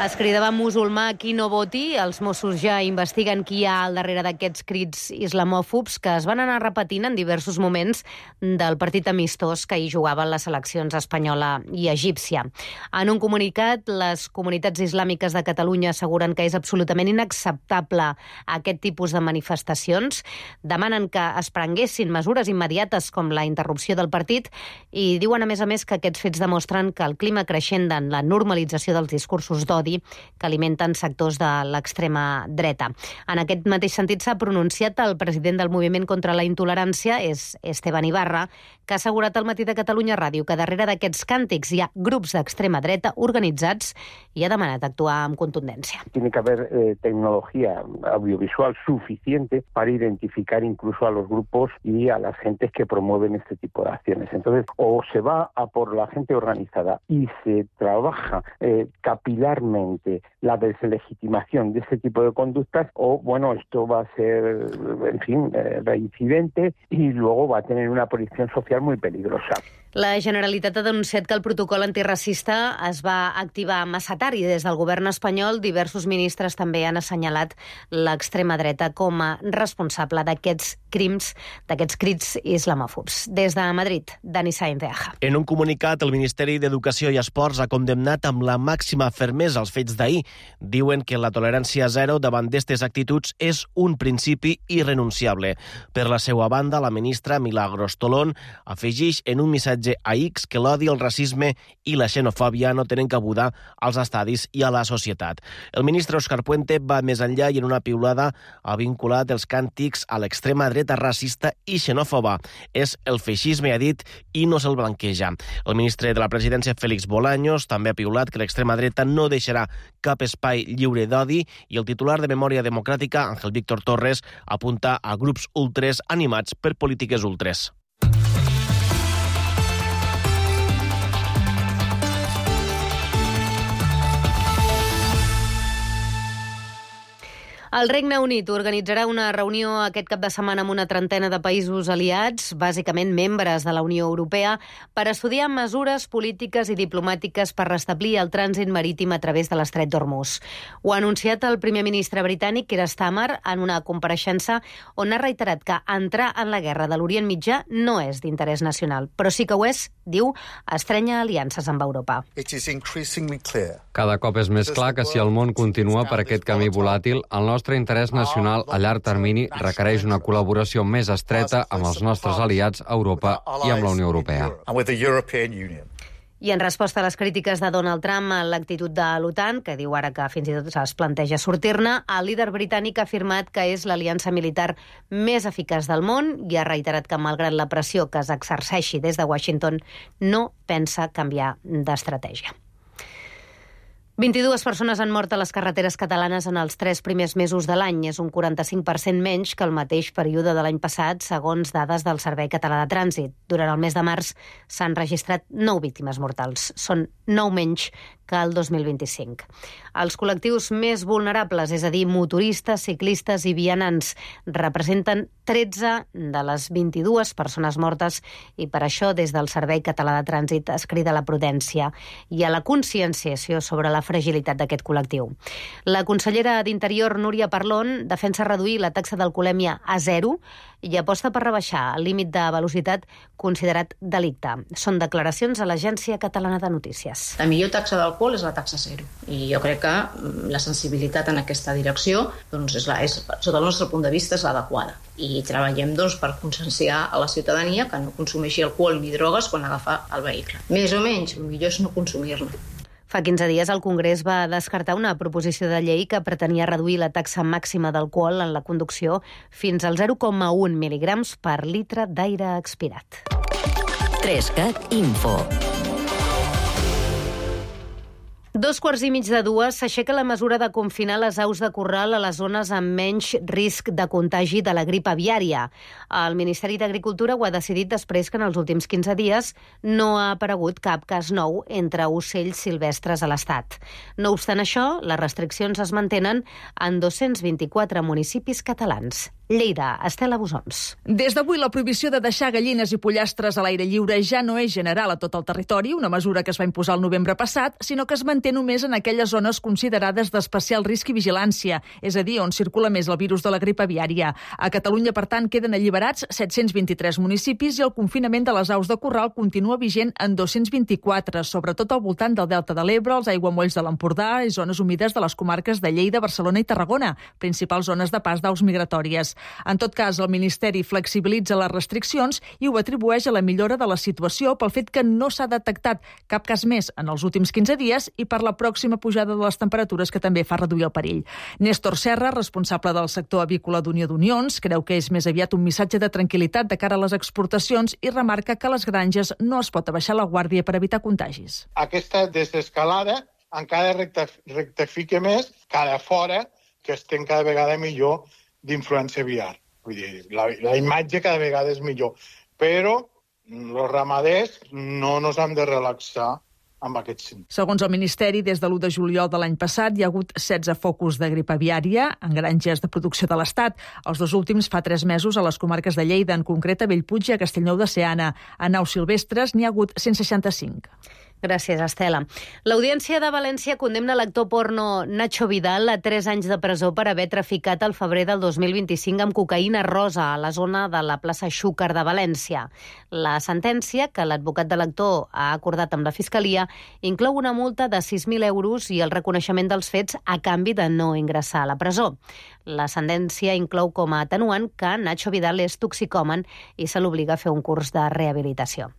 Es cridava musulmà qui no voti. Els Mossos ja investiguen qui hi ha al darrere d'aquests crits islamòfobs que es van anar repetint en diversos moments del partit amistós que hi jugaven les seleccions espanyola i egípcia. En un comunicat, les comunitats islàmiques de Catalunya asseguren que és absolutament inacceptable aquest tipus de manifestacions. Demanen que es prenguessin mesures immediates com la interrupció del partit i diuen, a més a més, que aquests fets demostren que el clima creixent en la normalització dels discursos d'odi d'odi que alimenten sectors de l'extrema dreta. En aquest mateix sentit s'ha pronunciat el president del Moviment contra la Intolerància, és Esteban Ibarra, que ha assegurat al Matí de Catalunya Ràdio que darrere d'aquests càntics hi ha grups d'extrema dreta organitzats i ha demanat actuar amb contundència. Tiene que haber eh, tecnología audiovisual suficiente para identificar incluso a los grupos y a las gentes que promueven este tipo de acciones. Entonces, o se va a por la gente organizada y se trabaja eh, capilarmente la deslegitimación de este tipo de conductas, o bueno, esto va a ser, en fin, eh, reincidente y luego va a tener una proyección social muy peligrosa. La Generalitat ha denunciat que el protocol antiracista es va activar massa tard i des del govern espanyol diversos ministres també han assenyalat l'extrema dreta com a responsable d'aquests crims, d'aquests crits islamòfobs. Des de Madrid, Dani Sainz de Aja. En un comunicat, el Ministeri d'Educació i Esports ha condemnat amb la màxima fermesa els fets d'ahir. Diuen que la tolerància zero davant d'aquestes actituds és un principi irrenunciable. Per la seva banda, la ministra Milagros Tolón afegeix en un missatge a X que l'odi, el racisme i la xenofòbia no tenen cabuda als estadis i a la societat. El ministre Òscar Puente va més enllà i en una piulada ha vinculat els càntics a l'extrema dreta racista i xenòfoba. És el feixisme, ha dit, i no se'l blanqueja. El ministre de la Presidència, Félix Bolaños, també ha piulat que l'extrema dreta no deixarà cap espai lliure d'odi i el titular de Memòria Democràtica, Ángel Víctor Torres, apunta a grups ultres animats per polítiques ultres. El Regne Unit organitzarà una reunió aquest cap de setmana amb una trentena de països aliats, bàsicament membres de la Unió Europea, per estudiar mesures polítiques i diplomàtiques per restablir el trànsit marítim a través de l'estret d'Hormuz. Ho ha anunciat el primer ministre britànic, Keir Starmer, en una compareixença on ha reiterat que entrar en la guerra de l'Orient Mitjà no és d'interès nacional, però sí que ho és, diu, estrenya aliances amb Europa. Cada cop és més clar que si el món continua per aquest camí volàtil, el nostre El nostre interès nacional a llarg termini requereix una col·laboració més estreta amb els nostres aliats a Europa i amb la Unió Europea. I en resposta a les crítiques de Donald Trump a l'actitud de l'OTAN, que diu ara que fins i tot es planteja sortir-ne, el líder britànic ha afirmat que és l'aliança militar més eficaç del món i ha reiterat que, malgrat la pressió que s'exerceixi des de Washington, no pensa canviar d'estratègia. vint-i-dues persones han mort a les carreteres catalanes en els tres primers mesos de l'any. És un quaranta-cinc per cent menys que el mateix període de l'any passat, segons dades del Servei Català de Trànsit. Durant el mes de març s'han registrat nou víctimes mortals. Són nou menys que el dos mil vint-i-cinc. Els col·lectius més vulnerables, és a dir, motoristes, ciclistes i vianants, representen tretze de les vint-i-dues persones mortes i per això des del Servei Català de Trànsit es crida a la prudència i a la conscienciació sobre la fragilitat d'aquest col·lectiu. La consellera d'Interior, Núria Parlon, defensa reduir la taxa d'alcoholèmia a zero i aposta per rebaixar el límit de velocitat considerat delicte. Són declaracions a l'Agència Catalana de Notícies. La millor taxa d'alcohol és la taxa zero. I jo crec que la sensibilitat en aquesta direcció, doncs, és la, és, sota el nostre punt de vista, és l'adequada. I treballem doncs, per conscienciar a la ciutadania que no consumeixi alcohol ni drogues quan agafa el vehicle. Més o menys, el millor és no consumir-ne. Fa quinze dies el Congrés va descartar una proposició de llei que pretenia reduir la taxa màxima d'alcohol en la conducció fins al zero coma un mil·ligrams per litre d'aire expirat. Trescat Info. Dos quarts i mig de dues s'aixeca la mesura de confinar les aus de corral a les zones amb menys risc de contagi de la grip aviària. El Ministeri d'Agricultura ho ha decidit després que en els últims quinze dies no ha aparegut cap cas nou entre ocells silvestres a l'Estat. No obstant això, les restriccions es mantenen en dos-cents vint-i-quatre municipis catalans. Lleida, Estela Busons. Des d'avui, la prohibició de deixar gallines i pollastres a l'aire lliure ja no és general a tot el territori, una mesura que es va imposar el novembre passat, sinó que es manté només en aquelles zones considerades d'especial risc i vigilància, és a dir, on circula més el virus de la grip aviària. A Catalunya, per tant, queden alliberats set-cents vint-i-tres municipis i el confinament de les aus de corral continua vigent en dos-cents vint-i-quatre, sobretot al voltant del Delta de l'Ebre, els aiguamolls de l'Empordà i zones humides de les comarques de Lleida, Barcelona i Tarragona, principals zones de pas d'aus migratòries. En tot cas, el Ministeri flexibilitza les restriccions i ho atribueix a la millora de la situació pel fet que no s'ha detectat cap cas més en els últims quinze dies i per la pròxima pujada de les temperatures que també fa reduir el perill. Néstor Serra, responsable del sector avícola d'Unió d'Unions, creu que és més aviat un missatge de tranquil·litat de cara a les exportacions i remarca que a les granges no es pot abaixar la guàrdia per evitar contagis. Aquesta desescalada encara rectifica més cada fora que estem cada vegada millor d'influència aviar. Vull dir, la, la imatge cada vegada és millor. Però els ramaders no ens hem de relaxar amb aquest sentit. Segons el Ministeri, des de l'u de juliol de l'any passat hi ha hagut setze focus de grip aviària en granges de producció de l'Estat. Els dos últims fa tres mesos a les comarques de Lleida, en concret a Bellpuig i a Castellnou de Seana. A naus silvestres n'hi ha hagut cent seixanta-cinc. Gràcies, Estela. L'Audiència de València condemna l'actor porno Nacho Vidal a tres anys de presó per haver traficat al febrer del dos mil vint-i-cinc amb cocaïna rosa a la zona de la plaça Xúquer de València. La sentència, que l'advocat de l'actor ha acordat amb la Fiscalia, inclou una multa de sis mil euros i el reconeixement dels fets a canvi de no ingressar a la presó. La sentència inclou com a atenuant que Nacho Vidal és toxicòman i se l'obliga a fer un curs de rehabilitació.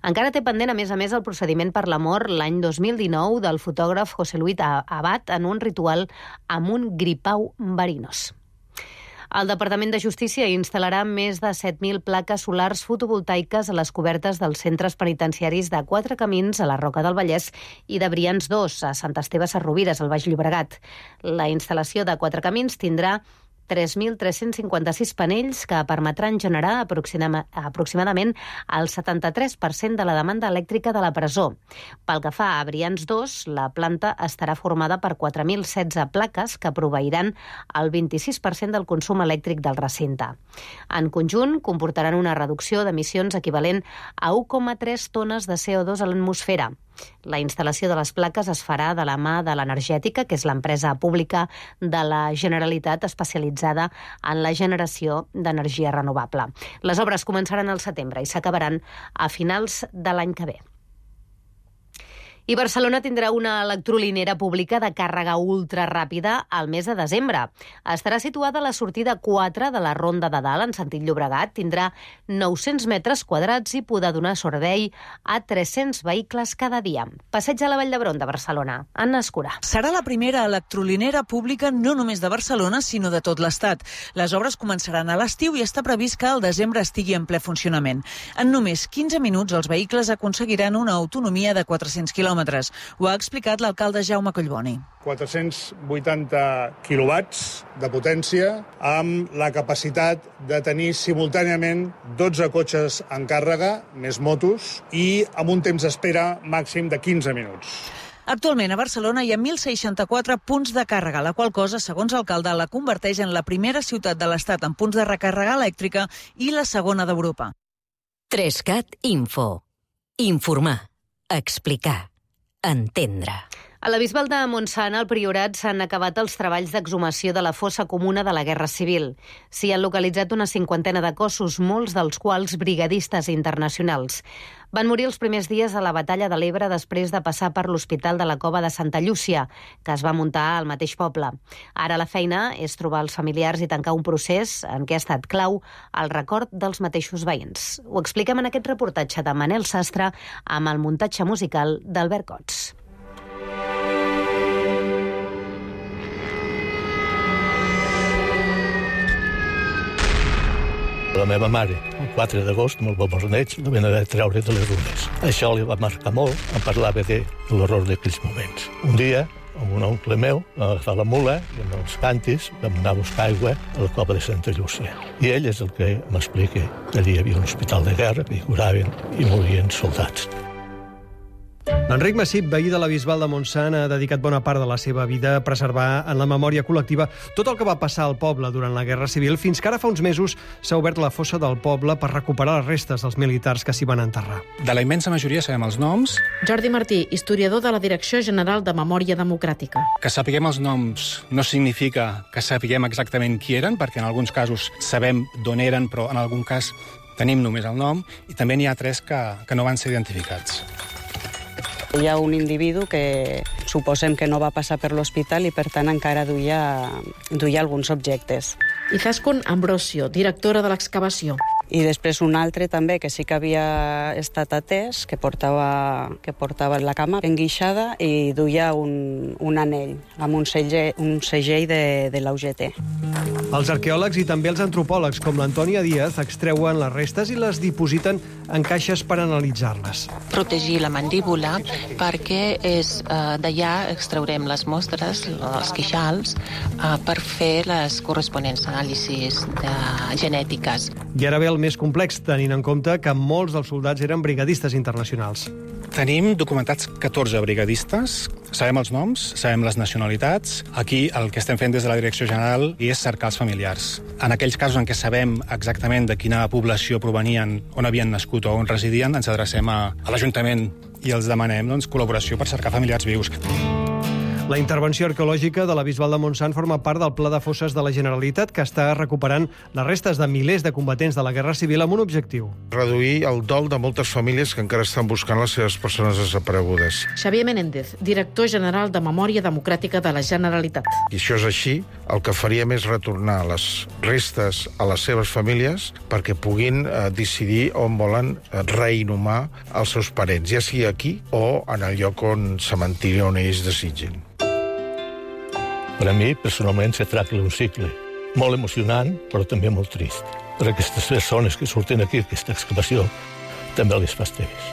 Encara té pendent, a més a més, el procediment per la mort l'any dos mil dinou del fotògraf José Luis Abad en un ritual amb un gripau verinós. El Departament de Justícia instal·larà més de set mil plaques solars fotovoltaiques a les cobertes dels centres penitenciaris de Quatre Camins, a la Roca del Vallès, i de Brians dos, a Sant Esteve Sesrovires, al Baix Llobregat. La instal·lació de Quatre Camins tindrà tres mil tres-cents cinquanta-sis panells que permetran generar aproximadament el setanta-tres per cent de la demanda elèctrica de la presó. Pel que fa a Brians dos, la planta estarà formada per quatre mil setze plaques que proveiran el vint-i-sis per cent del consum elèctric del recinte. En conjunt, comportaran una reducció d'emissions equivalent a u coma tres tones de C O dos a l'atmosfera. La instal·lació de les plaques es farà de la mà de l'Energètica, que és l'empresa pública de la Generalitat especialitzada en la generació d'energia renovable. Les obres començaran al setembre i s'acabaran a finals de l'any que ve. I Barcelona tindrà una electrolinera pública de càrrega ultraràpida al mes de desembre. Estarà situada a la sortida quatre de la Ronda de Dalt, en sentit Llobregat. Tindrà nou-cents metres quadrats i podrà donar servei a tres-cents vehicles cada dia. Passeig a la Vall d'Hebron de Barcelona. Anna Escurà. Serà la primera electrolinera pública no només de Barcelona, sinó de tot l'Estat. Les obres començaran a l'estiu i està previst que al desembre estigui en ple funcionament. En només quinze minuts els vehicles aconseguiran una autonomia de quatre-cents quilòmetres. Ho ha explicat l'alcalde Jaume Collboni. quatre-cents vuitanta quilowatts de potència amb la capacitat de tenir simultàniament dotze cotxes en càrrega, més motos, i amb un temps d'espera màxim de quinze minuts. Actualment a Barcelona hi ha mil seixanta-quatre punts de càrrega, la qual cosa, segons l'alcalde, la converteix en la primera ciutat de l'Estat en punts de recàrrega elèctrica i la segona d'Europa. Trescat Info. Informar. Explicar. Entendre. A la Bisbal de Montsant, al Priorat, s'han acabat els treballs d'exhumació de la fossa comuna de la Guerra Civil. S'hi han localitzat una cinquantena de cossos, molts dels quals brigadistes internacionals. Van morir els primers dies de la batalla de l'Ebre després de passar per l'Hospital de la Cova de Santa Llúcia, que es va muntar al mateix poble. Ara la feina és trobar els familiars i tancar un procés en què ha estat clau el record dels mateixos veïns. Ho expliquem en aquest reportatge de Manel Sastre amb el muntatge musical d'Albert Cots. La meva mare, el quatre d'agost, amb el bombardeig, la van haver de treure de les runes. Això li va marcar molt, em parlava de l'horror d'aquells moments. Un dia, amb un oncle meu, vam agafar la mula i amb els cantis vam anar a buscar aigua a la cova de Santa Llúcia. I ell és el que m'explica que allà hi havia un hospital de guerra, que hi curaven i morien soldats. Enric Massip, veí de la Bisbal de Montsant, ha dedicat bona part de la seva vida a preservar en la memòria col·lectiva tot el que va passar al poble durant la Guerra Civil, fins que ara fa uns mesos s'ha obert la fossa del poble per recuperar les restes dels militars que s'hi van enterrar. De la immensa majoria sabem els noms. Jordi Martí, historiador de la Direcció General de Memòria Democràtica. Que sapiguem els noms no significa que sapiguem exactament qui eren, perquè en alguns casos sabem d'on eren, però en algun cas tenim només el nom, i també n'hi ha tres que, que no van ser identificats. Hi ha un individu que suposem que no va passar per l'hospital i per tant encara duia, duia alguns objectes. Izaskun Ambrosio, directora de l'excavació. I després un altre també que sí que havia estat atès, que portava, que portava la cama enguixada i duia un, un anell amb un segell, un segell de, de l'U G T. Els arqueòlegs i també els antropòlegs, com l'Antònia Díaz, extreuen les restes i les dipositen en caixes per analitzar-les. Protegir la mandíbula perquè és uh, d'allà extraurem les mostres, els queixals, uh, per fer les corresponents anàlisis de genètiques. I ara ve el més complex, tenint en compte que molts dels soldats eren brigadistes internacionals. Tenim documentats catorze brigadistes, sabem els noms, sabem les nacionalitats. Aquí el que estem fent des de la Direcció General és cercar els familiars. En aquells casos en què sabem exactament de quina població provenien, on havien nascut o on residien, ens adrecem a, a l'Ajuntament i els demanem doncs, col·laboració per cercar familiars vius. La intervenció arqueològica de la Bisbal de Montsant forma part del Pla de Fosses de la Generalitat, que està recuperant les restes de milers de combatents de la Guerra Civil amb un objectiu. Reduir el dol de moltes famílies que encara estan buscant les seves persones desaparegudes. Xavier Menéndez, director general de Memòria Democràtica de la Generalitat. I això és així, el que faríem és retornar les restes a les seves famílies perquè puguin eh, decidir on volen eh, reinhumar els seus parents, ja sigui aquí o en el lloc on cementiri on ells desitgin. Per a mi, personalment, se tracta d'un cicle molt emocionant, però també molt trist. Per aquestes persones que surten aquí, aquesta excavació, també les fas teves.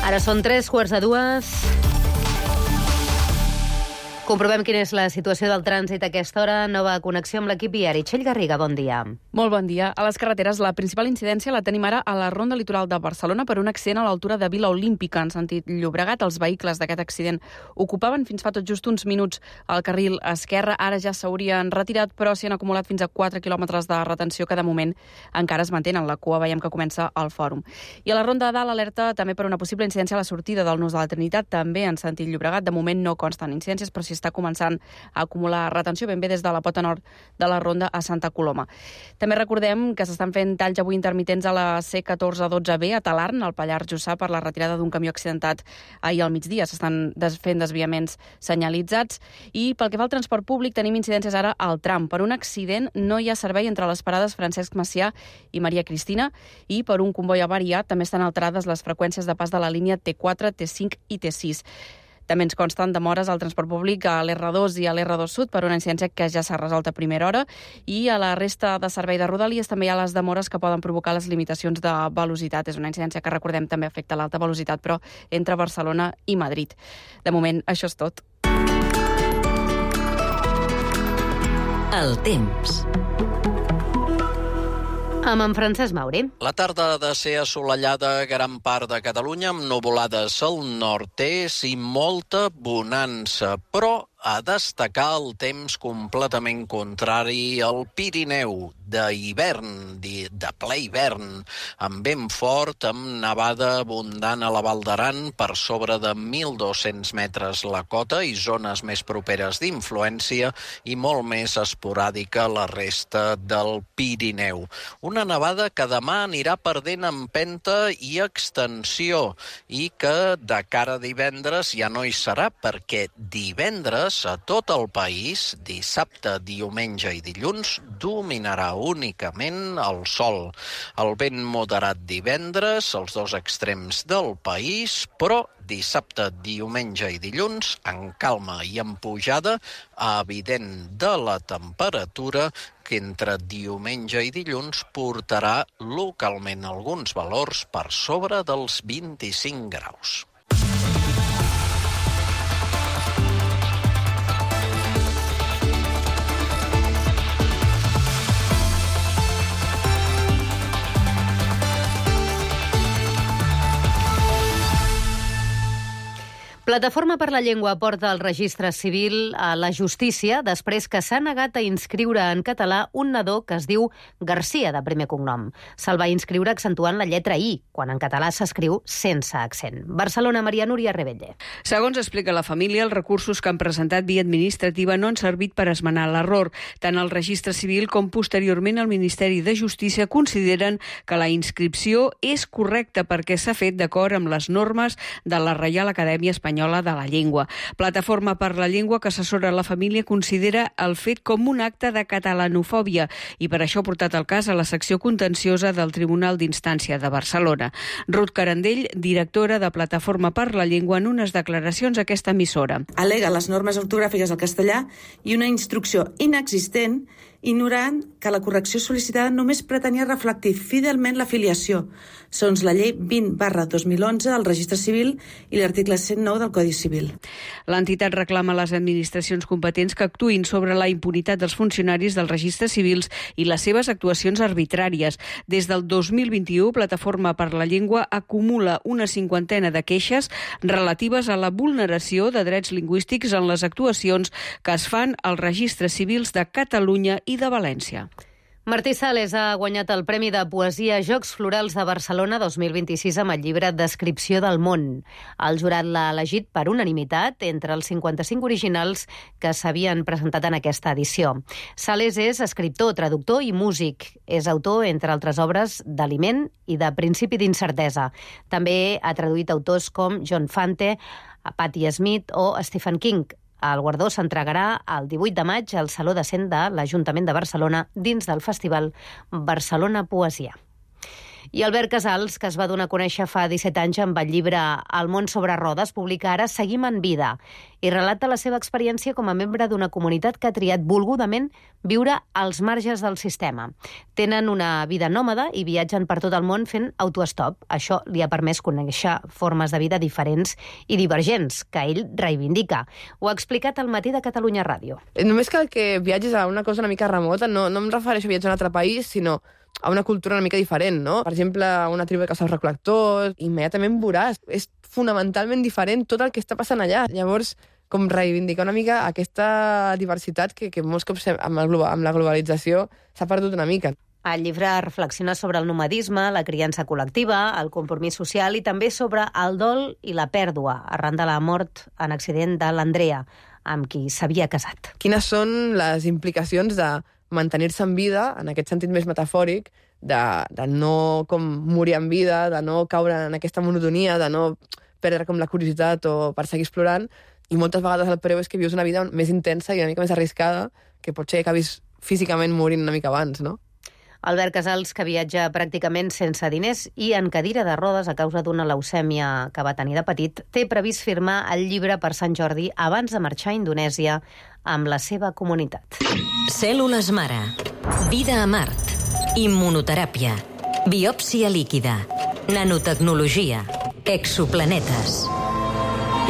Ara són tres quarts de dues. Comprovem quina és la situació del trànsit a aquesta hora. Nova connexió amb l'equip viari. Txell Garriga, bon dia. Molt bon dia. A les carreteres, la principal incidència la tenim ara a la ronda litoral de Barcelona per un accident a l'altura de Vila Olímpica, en sentit Llobregat. Els vehicles d'aquest accident ocupaven fins fa tot just uns minuts el carril esquerre. Ara ja s'haurien retirat, però s'hi han acumulat fins a quatre quilòmetres de retenció que de moment encara es mantenen. La cua veiem que comença al fòrum. I a la ronda de dalt, alerta també per una possible incidència a la sortida del Nus de la Trinitat, també en sentit Llobregat. De moment no consten incidències, però si està començant a acumular retenció ben bé des de la pota nord de la ronda a Santa Coloma. També recordem que s'estan fent talls avui intermitents a la C catorze dotze B a Talarn, al Pallars Jussà, per la retirada d'un camió accidentat ahir al migdia. S'estan des fent desviaments senyalitzats. I pel que fa al transport públic, tenim incidències ara al tram. Per un accident no hi ha servei entre les parades Francesc Macià i Maria Cristina, i per un comboi avariat també estan alterades les freqüències de pas de la línia T quatre, T cinc i T sis. També ens consten demores al transport públic a l'R dos i a l'R dos Sud per una incidència que ja s'ha resolt a primera hora, i a la resta de servei de Rodalies també hi ha les demores que poden provocar les limitacions de velocitat. És una incidència que, recordem, també afecta l'alta velocitat, però entre Barcelona i Madrid. De moment, això és tot. El temps. Amb en Francesc Mauri. La tarda ha de ser assolellada a gran part de Catalunya, amb nuvolades al nord-est i molta bonança, però a destacar el temps completament contrari al Pirineu, d'hivern, de ple hivern, amb vent fort, amb nevada abundant a la Val d'Aran per sobre de mil dos-cents metres la cota i zones més properes d'influència, i molt més esporàdica a la resta del Pirineu. Una nevada que demà anirà perdent empenta i extensió, i que de cara a divendres ja no hi serà, perquè divendres a tot el país, dissabte, diumenge i dilluns, dominarà únicament el sol. El vent moderat divendres, als dos extrems del país, però dissabte, diumenge i dilluns, en calma i en pujada, evident de la temperatura, que entre diumenge i dilluns portarà localment alguns valors per sobre dels vint-i-cinc graus. Plataforma per la Llengua porta el registre civil a la justícia després que s'ha negat a inscriure en català un nadó que es diu Garcia, de primer cognom. Se'l va inscriure accentuant la lletra I, quan en català s'escriu sense accent. Barcelona, Maria Núria Rebelle. Segons explica la família, els recursos que han presentat via administrativa no han servit per esmenar l'error. Tant el registre civil com posteriorment el Ministeri de Justícia consideren que la inscripció és correcta perquè s'ha fet d'acord amb les normes de la Reial Acadèmia Espanyola de la Llengua. Plataforma per la Llengua, que assessora la família, considera el fet com un acte de catalanofòbia i per això ha portat el cas a la secció contenciosa del Tribunal d'Instància de Barcelona. Ruth Carandell, directora de Plataforma per la Llengua, en unes declaracions a aquesta emissora. Al·lega les normes ortogràfiques del castellà i una instrucció inexistent, ignorant que la correcció sol·licitada només pretenia reflectir fidelment la filiació, segons la llei vint barra dos mil onze del Registre Civil i l'article cent nou del Codi Civil. L'entitat reclama a les administracions competents que actuïn sobre la impunitat dels funcionaris dels registres civils i les seves actuacions arbitràries. Des del dos mil vint-i-u, Plataforma per la Llengua acumula una cinquantena de queixes relatives a la vulneració de drets lingüístics en les actuacions que es fan als registres civils de Catalunya i de València. Martí Sales ha guanyat el Premi de Poesia Jocs Florals de Barcelona dos mil vint-i-sis amb el llibre Descripció del món. El jurat l'ha elegit per unanimitat entre els cinquanta-cinc originals que s'havien presentat en aquesta edició. Sales és escriptor, traductor i músic. És autor, entre altres obres, d'Aliment i de Principi d'incertesa. També ha traduït autors com John Fante, Patti Smith o Stephen King. El guardó s'entregarà el divuit de maig al Saló de Cent de l'Ajuntament de Barcelona dins del Festival Barcelona Poesia. I Albert Casals, que es va donar a conèixer fa disset anys amb el llibre El món sobre rodes, publica ara Seguim en vida i relata la seva experiència com a membre d'una comunitat que ha triat volgudament viure als marges del sistema. Tenen una vida nòmada i viatgen per tot el món fent autoestop. Això li ha permès conèixer formes de vida diferents i divergents, que ell reivindica. Ho ha explicat al Matí de Catalunya Ràdio. Només cal que viatgis a una cosa una mica remota, no, no em refereixo a viatjar a un altre país, sinó a una cultura una mica diferent, no? Per exemple, una tribu de caçadors recol·lectors, immediatament veuràs. És fonamentalment diferent tot el que està passant allà. Llavors, com reivindicar una mica aquesta diversitat que, que molts cops amb, el, amb la globalització s'ha perdut una mica. El llibre reflexiona sobre el nomadisme, la criança col·lectiva, el compromís social i també sobre el dol i la pèrdua arran de la mort en accident de l'Andrea, amb qui s'havia casat. Quines són les implicacions de mantenir-se en vida, en aquest sentit més metafòric, de, de no com morir en vida, de no caure en aquesta monotonia, de no perdre com la curiositat o per seguir explorant, i moltes vegades el preu és que vius una vida més intensa i una mica més arriscada, que potser acabis físicament morint una mica abans, no? Albert Casals, que viatja pràcticament sense diners i en cadira de rodes a causa d'una leucèmia que va tenir de petit, té previst firmar el llibre per Sant Jordi abans de marxar a Indonèsia amb la seva comunitat. Cèl·lules mare, vida a Mart, immunoteràpia, biòpsia líquida, nanotecnologia, exoplanetes.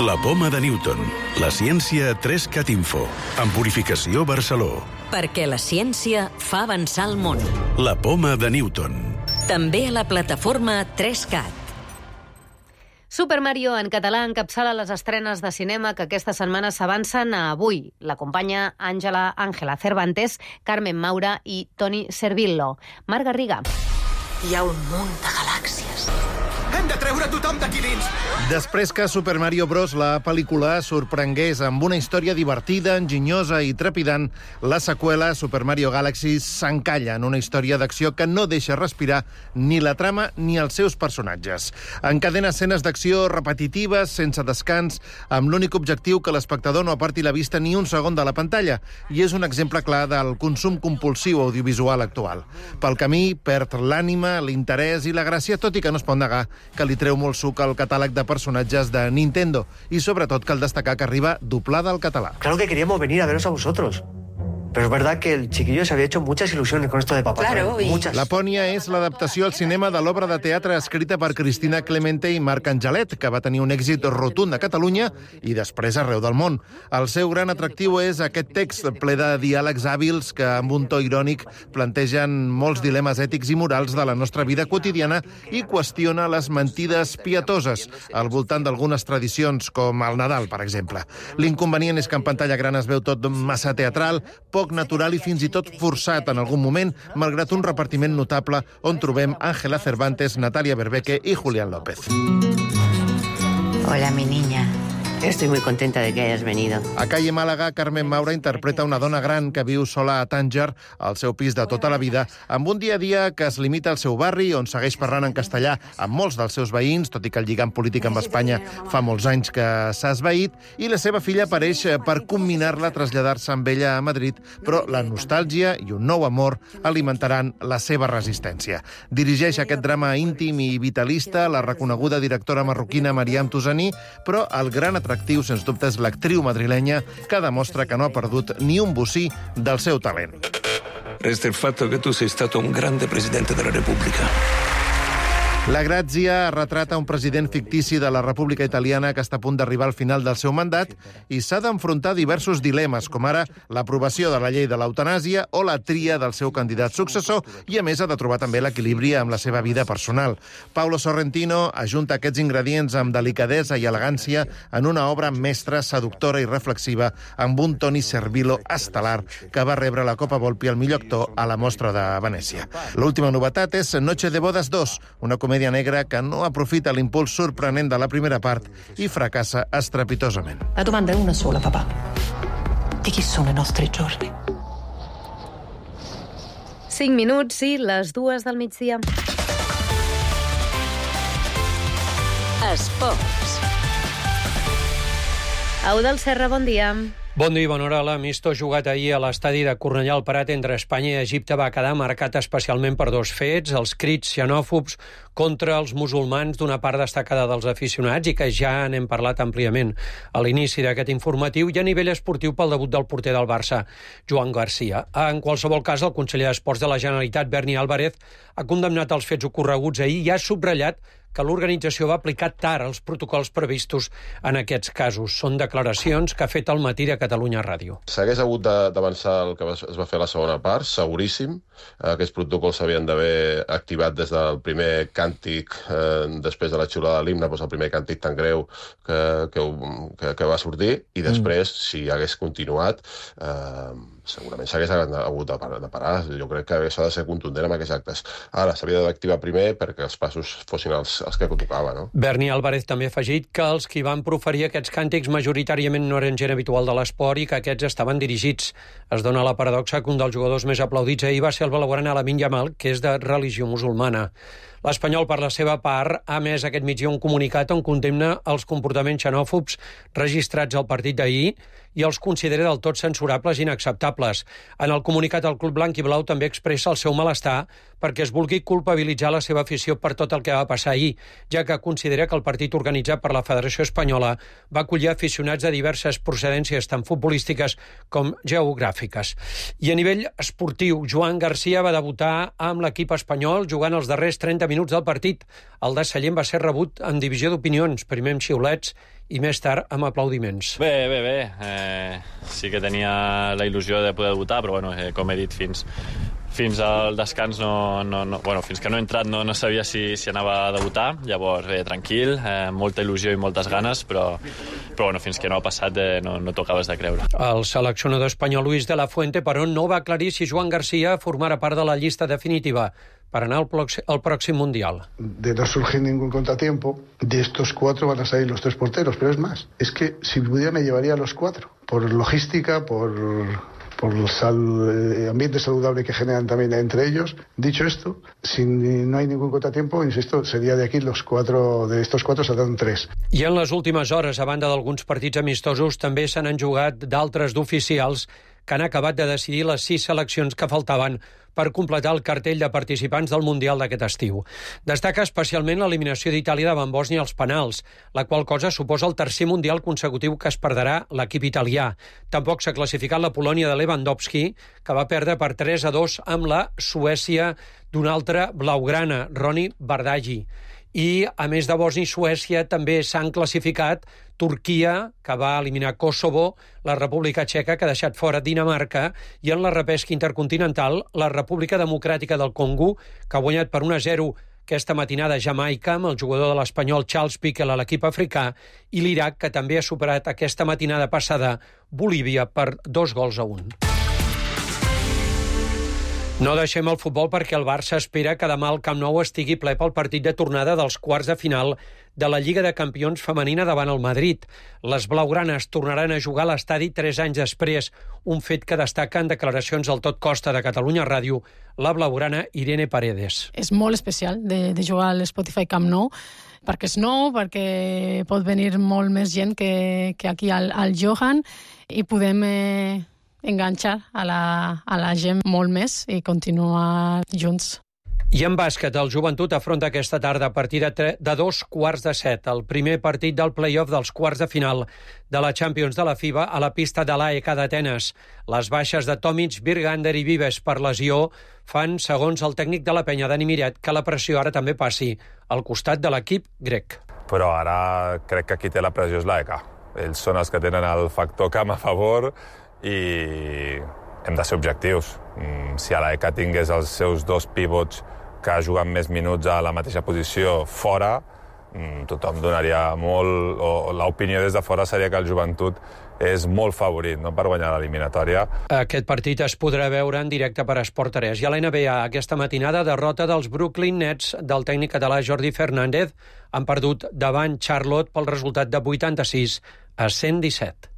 La poma de Newton, la ciència tres cat Info, amb Purificació Barceló. Perquè la ciència fa avançar el món. La poma de Newton. També a la plataforma tres cat. Super Mario en català encapçala les estrenes de cinema que aquesta setmana s'avancen a avui. L'acompanya Àngela Ángela Cervantes, Carmen Maura i Toni Servillo. Marc Garriga. Hi ha un munt de galàxies. Hem de treure tothom d'aquí dins! Després que Super Mario Bros. La pel·lícula sorprengués amb una història divertida, enginyosa i trepidant, la seqüela Super Mario Galaxy s'encalla en una història d'acció que no deixa respirar ni la trama ni els seus personatges. Encadena escenes d'acció repetitives, sense descans, amb l'únic objectiu que l'espectador no aparti la vista ni un segon de la pantalla, i és un exemple clar del consum compulsiu audiovisual actual. Pel camí perd l'ànima, l'interès i la gràcia, tot i que no es pot negar que li treu molt suc al catàleg de personatges de Nintendo, i sobretot cal destacar que arriba doblada al català. Claro que queríamos venir a veros a vosotros. Pero es verdad que el chiquillo se había hecho muchas ilusiones con esto de Papá Claro, Noel. i- Muchas. Lapònia és l'adaptació al cinema de l'obra de teatre escrita per Cristina Clemente i Marc Angelet, que va tenir un èxit rotund a Catalunya i després arreu del món. El seu gran atractiu és aquest text ple de diàlegs hàbils que, amb un to irònic, plantegen molts dilemes ètics i morals de la nostra vida quotidiana i qüestiona les mentides pietoses al voltant d'algunes tradicions, com el Nadal, per exemple. L'inconvenient és que en pantalla gran es veu tot massa teatral, poc natural i fins i tot forçat en algun moment, malgrat un repartiment notable on trobem Ángela Cervantes, Natalia Berbeque i Julián López. Hola, mi niña. Estoy muy contenta de que hayas venido. A Calle Màlaga, Carmen Maura interpreta una dona gran que viu sola a Tànger, al seu pis de tota la vida, amb un dia a dia que es limita al seu barri, on segueix parlant en castellà amb molts dels seus veïns, tot i que el lligam polític amb Espanya fa molts anys que s'ha esvaït, i la seva filla apareix per comminar-la a traslladar-se amb ella a Madrid, però la nostàlgia i un nou amor alimentaran la seva resistència. Dirigeix aquest drama íntim i vitalista la reconeguda directora marroquina Mariam Tousani, però el gran atractiu, sens dubte, és l'actriu madrilenya que demostra que no ha perdut ni un bocí del seu talent. Resta il fatto che tu sei stato un grande presidente della Repubblica. La Grazia retrata un president fictici de la República Italiana que està a punt d'arribar al final del seu mandat i s'ha d'enfrontar diversos dilemes, com ara l'aprovació de la llei de l'eutanàsia o la tria del seu candidat successor, i a més ha de trobar també l'equilibri amb la seva vida personal. Paolo Sorrentino ajunta aquests ingredients amb delicadesa i elegància en una obra mestra, seductora i reflexiva, amb un Toni Servillo estel·lar que va rebre la Copa Volpi al millor actor a la Mostra de Venècia. L'última novetat és Noche de Bodas dos, una comèdia negra que no aprofita l'impuls sorprenent de la primera part i fracassa estrepitosament. La domanda è una sola, papà. Di chi sono i nostri giorni? Cinc minuts i les dues del migdia. Esports. Eudald Serra, bon dia. Bon dia i bona hora. L'amistós jugat ahir a l'estadi de Cornellà al Prat entre Espanya i Egipte va quedar marcat especialment per dos fets, els crits xenòfobs contra els musulmans d'una part destacada dels aficionats i que ja n'hem parlat àmpliament a l'inici d'aquest informatiu, i a nivell esportiu pel debut del porter del Barça, Joan Garcia. En qualsevol cas, el conseller d'Esports de la Generalitat, Berni Álvarez, ha condemnat els fets ocorreguts ahir i ha subratllat que l'organització va aplicar tard els protocols previstos en aquests casos. Són declaracions que ha fet al matí de Catalunya Ràdio. S'hagués hagut d'avançar el que es va fer a la segona part, seguríssim. Aquests protocols s'havien d'haver activat des del primer càntic, eh, després de la xiulada de l'himne, doncs el primer càntic tan greu que, que, que, que va sortir, i després, mm. si hagués continuat, eh, segurament s'hagués hagut de parar. Jo crec que s'ha de ser contundent amb aquests actes. Ara, s'havia d'activar primer perquè els passos fossin els, els que tocava, no? Berni Álvarez també ha afegit que els qui van proferir aquests càntics majoritàriament no eren gent habitual de l'esport i que aquests estaven dirigits. Es dona la paradoxa que un dels jugadors més aplaudits ahir va ser el blaugrana Lamine Yamal, que és de religió musulmana. L'Espanyol, per la seva part, ha emès aquest migdia un comunicat on condemna els comportaments xenòfobs registrats al partit d'ahir i els considera del tot censurables i inacceptables. En el comunicat, el Club Blanc i Blau també expressa el seu malestar perquè es vulgui culpabilitzar la seva afició per tot el que va passar ahir, ja que considera que el partit organitzat per la Federació Espanyola va acollir aficionats de diverses procedències, tant futbolístiques com geogràfiques. I a nivell esportiu, Joan Garcia va debutar amb l'equip espanyol jugant els darrers trenta minuts del partit. El de Sallent va ser rebut en divisió d'opinions, primer amb xiulets i més tard amb aplaudiments. Bé, bé, bé. Eh, sí que tenia la il·lusió de poder debutar, però bueno, eh, com he dit, fins, fins al descans, no, no, no, bueno, fins que no he entrat no, no sabia si, si anava a debutar. Llavors, bé, tranquil, eh, molta il·lusió i moltes ganes, però, però bueno, fins que no ha passat eh, no, no t'ho acabes de creure. El seleccionador espanyol Luis de la Fuente, però, no va aclarir si Joan Garcia formarà part de la llista definitiva para ganar el próximo Mundial. De no surgir ningún contratiempo, de estos cuatro van a salir los tres porteros, pero es más, es que si pudiera me llevaría a los cuatro, por logística, por, por el sal, ambiente saludable que generan también entre ellos. Dicho esto, si no hay ningún contratiempo, insisto, sería de aquí los cuatro, de estos cuatro saldrán tres. I en les últimes hores, a banda d'alguns partits amistosos, també se n'han jugat d'altres d'oficials que han acabat de decidir les sis seleccions que faltaven per completar el cartell de participants del Mundial d'aquest estiu. Destaca especialment l'eliminació d'Itàlia davant Bòsnia als penals, la qual cosa suposa el tercer Mundial consecutiu que es perdrà l'equip italià. Tampoc s'ha classificat la Polònia de Lewandowski, que va perdre per tres a dos amb la Suècia d'un altre blaugrana, Roni Bardghji. I, a més de Bòsnia i Suècia, també s'han classificat Turquia, que va eliminar Kosovo, la República Txeca, que ha deixat fora Dinamarca, i en la repesca intercontinental, la República Democràtica del Congo, que ha guanyat per un a zero aquesta matinada Jamaica, amb el jugador de l'Espanyol Charles Piquel a l'equip africà, i l'Iraq, que també ha superat aquesta matinada passada Bolívia per dos gols a un. No deixem el futbol perquè el Barça espera que demà el Camp Nou estigui ple pel partit de tornada dels quarts de final de la Lliga de Campions femenina davant el Madrid. Les blaugranes tornaran a jugar a l'estadi tres anys després, un fet que destaca en declaracions al Tot Costa de Catalunya Ràdio la blaugrana Irene Paredes. És molt especial de, de jugar a l'Spotify Camp Nou, perquè és nou, perquè pot venir molt més gent que, que aquí al, al Johan, i podem eh, enganxar a la, a la gent molt més i continuar junts. I en bàsquet, el Joventut afronta aquesta tarda a partir de, tre- de dos quarts de set, el primer partit del play-off dels quarts de final de la Champions de la FIBA a la pista de l'A E K d'Atenes. Les baixes de Tomic, Virgander i Vives per lesió fan, segons el tècnic de la penya, Dani Miret, que la pressió ara també passi al costat de l'equip grec. Però ara crec que qui té la pressió és l'A E K. Ells són els que tenen el factor camp a favor i hem de ser objectius. Si a l'A E K tingués els seus dos pivots que juguen més minuts a la mateixa posició fora, tothom donaria molt, o l'opinió des de fora seria que el Joventut és molt favorit, no?, per guanyar l'eliminatòria. Aquest partit es podrà veure en directe per Esport tres. I a la N B A, aquesta matinada, derrota dels Brooklyn Nets del tècnic català Jordi Fernández. Han perdut davant Charlotte pel resultat de vuitanta-sis a cent disset.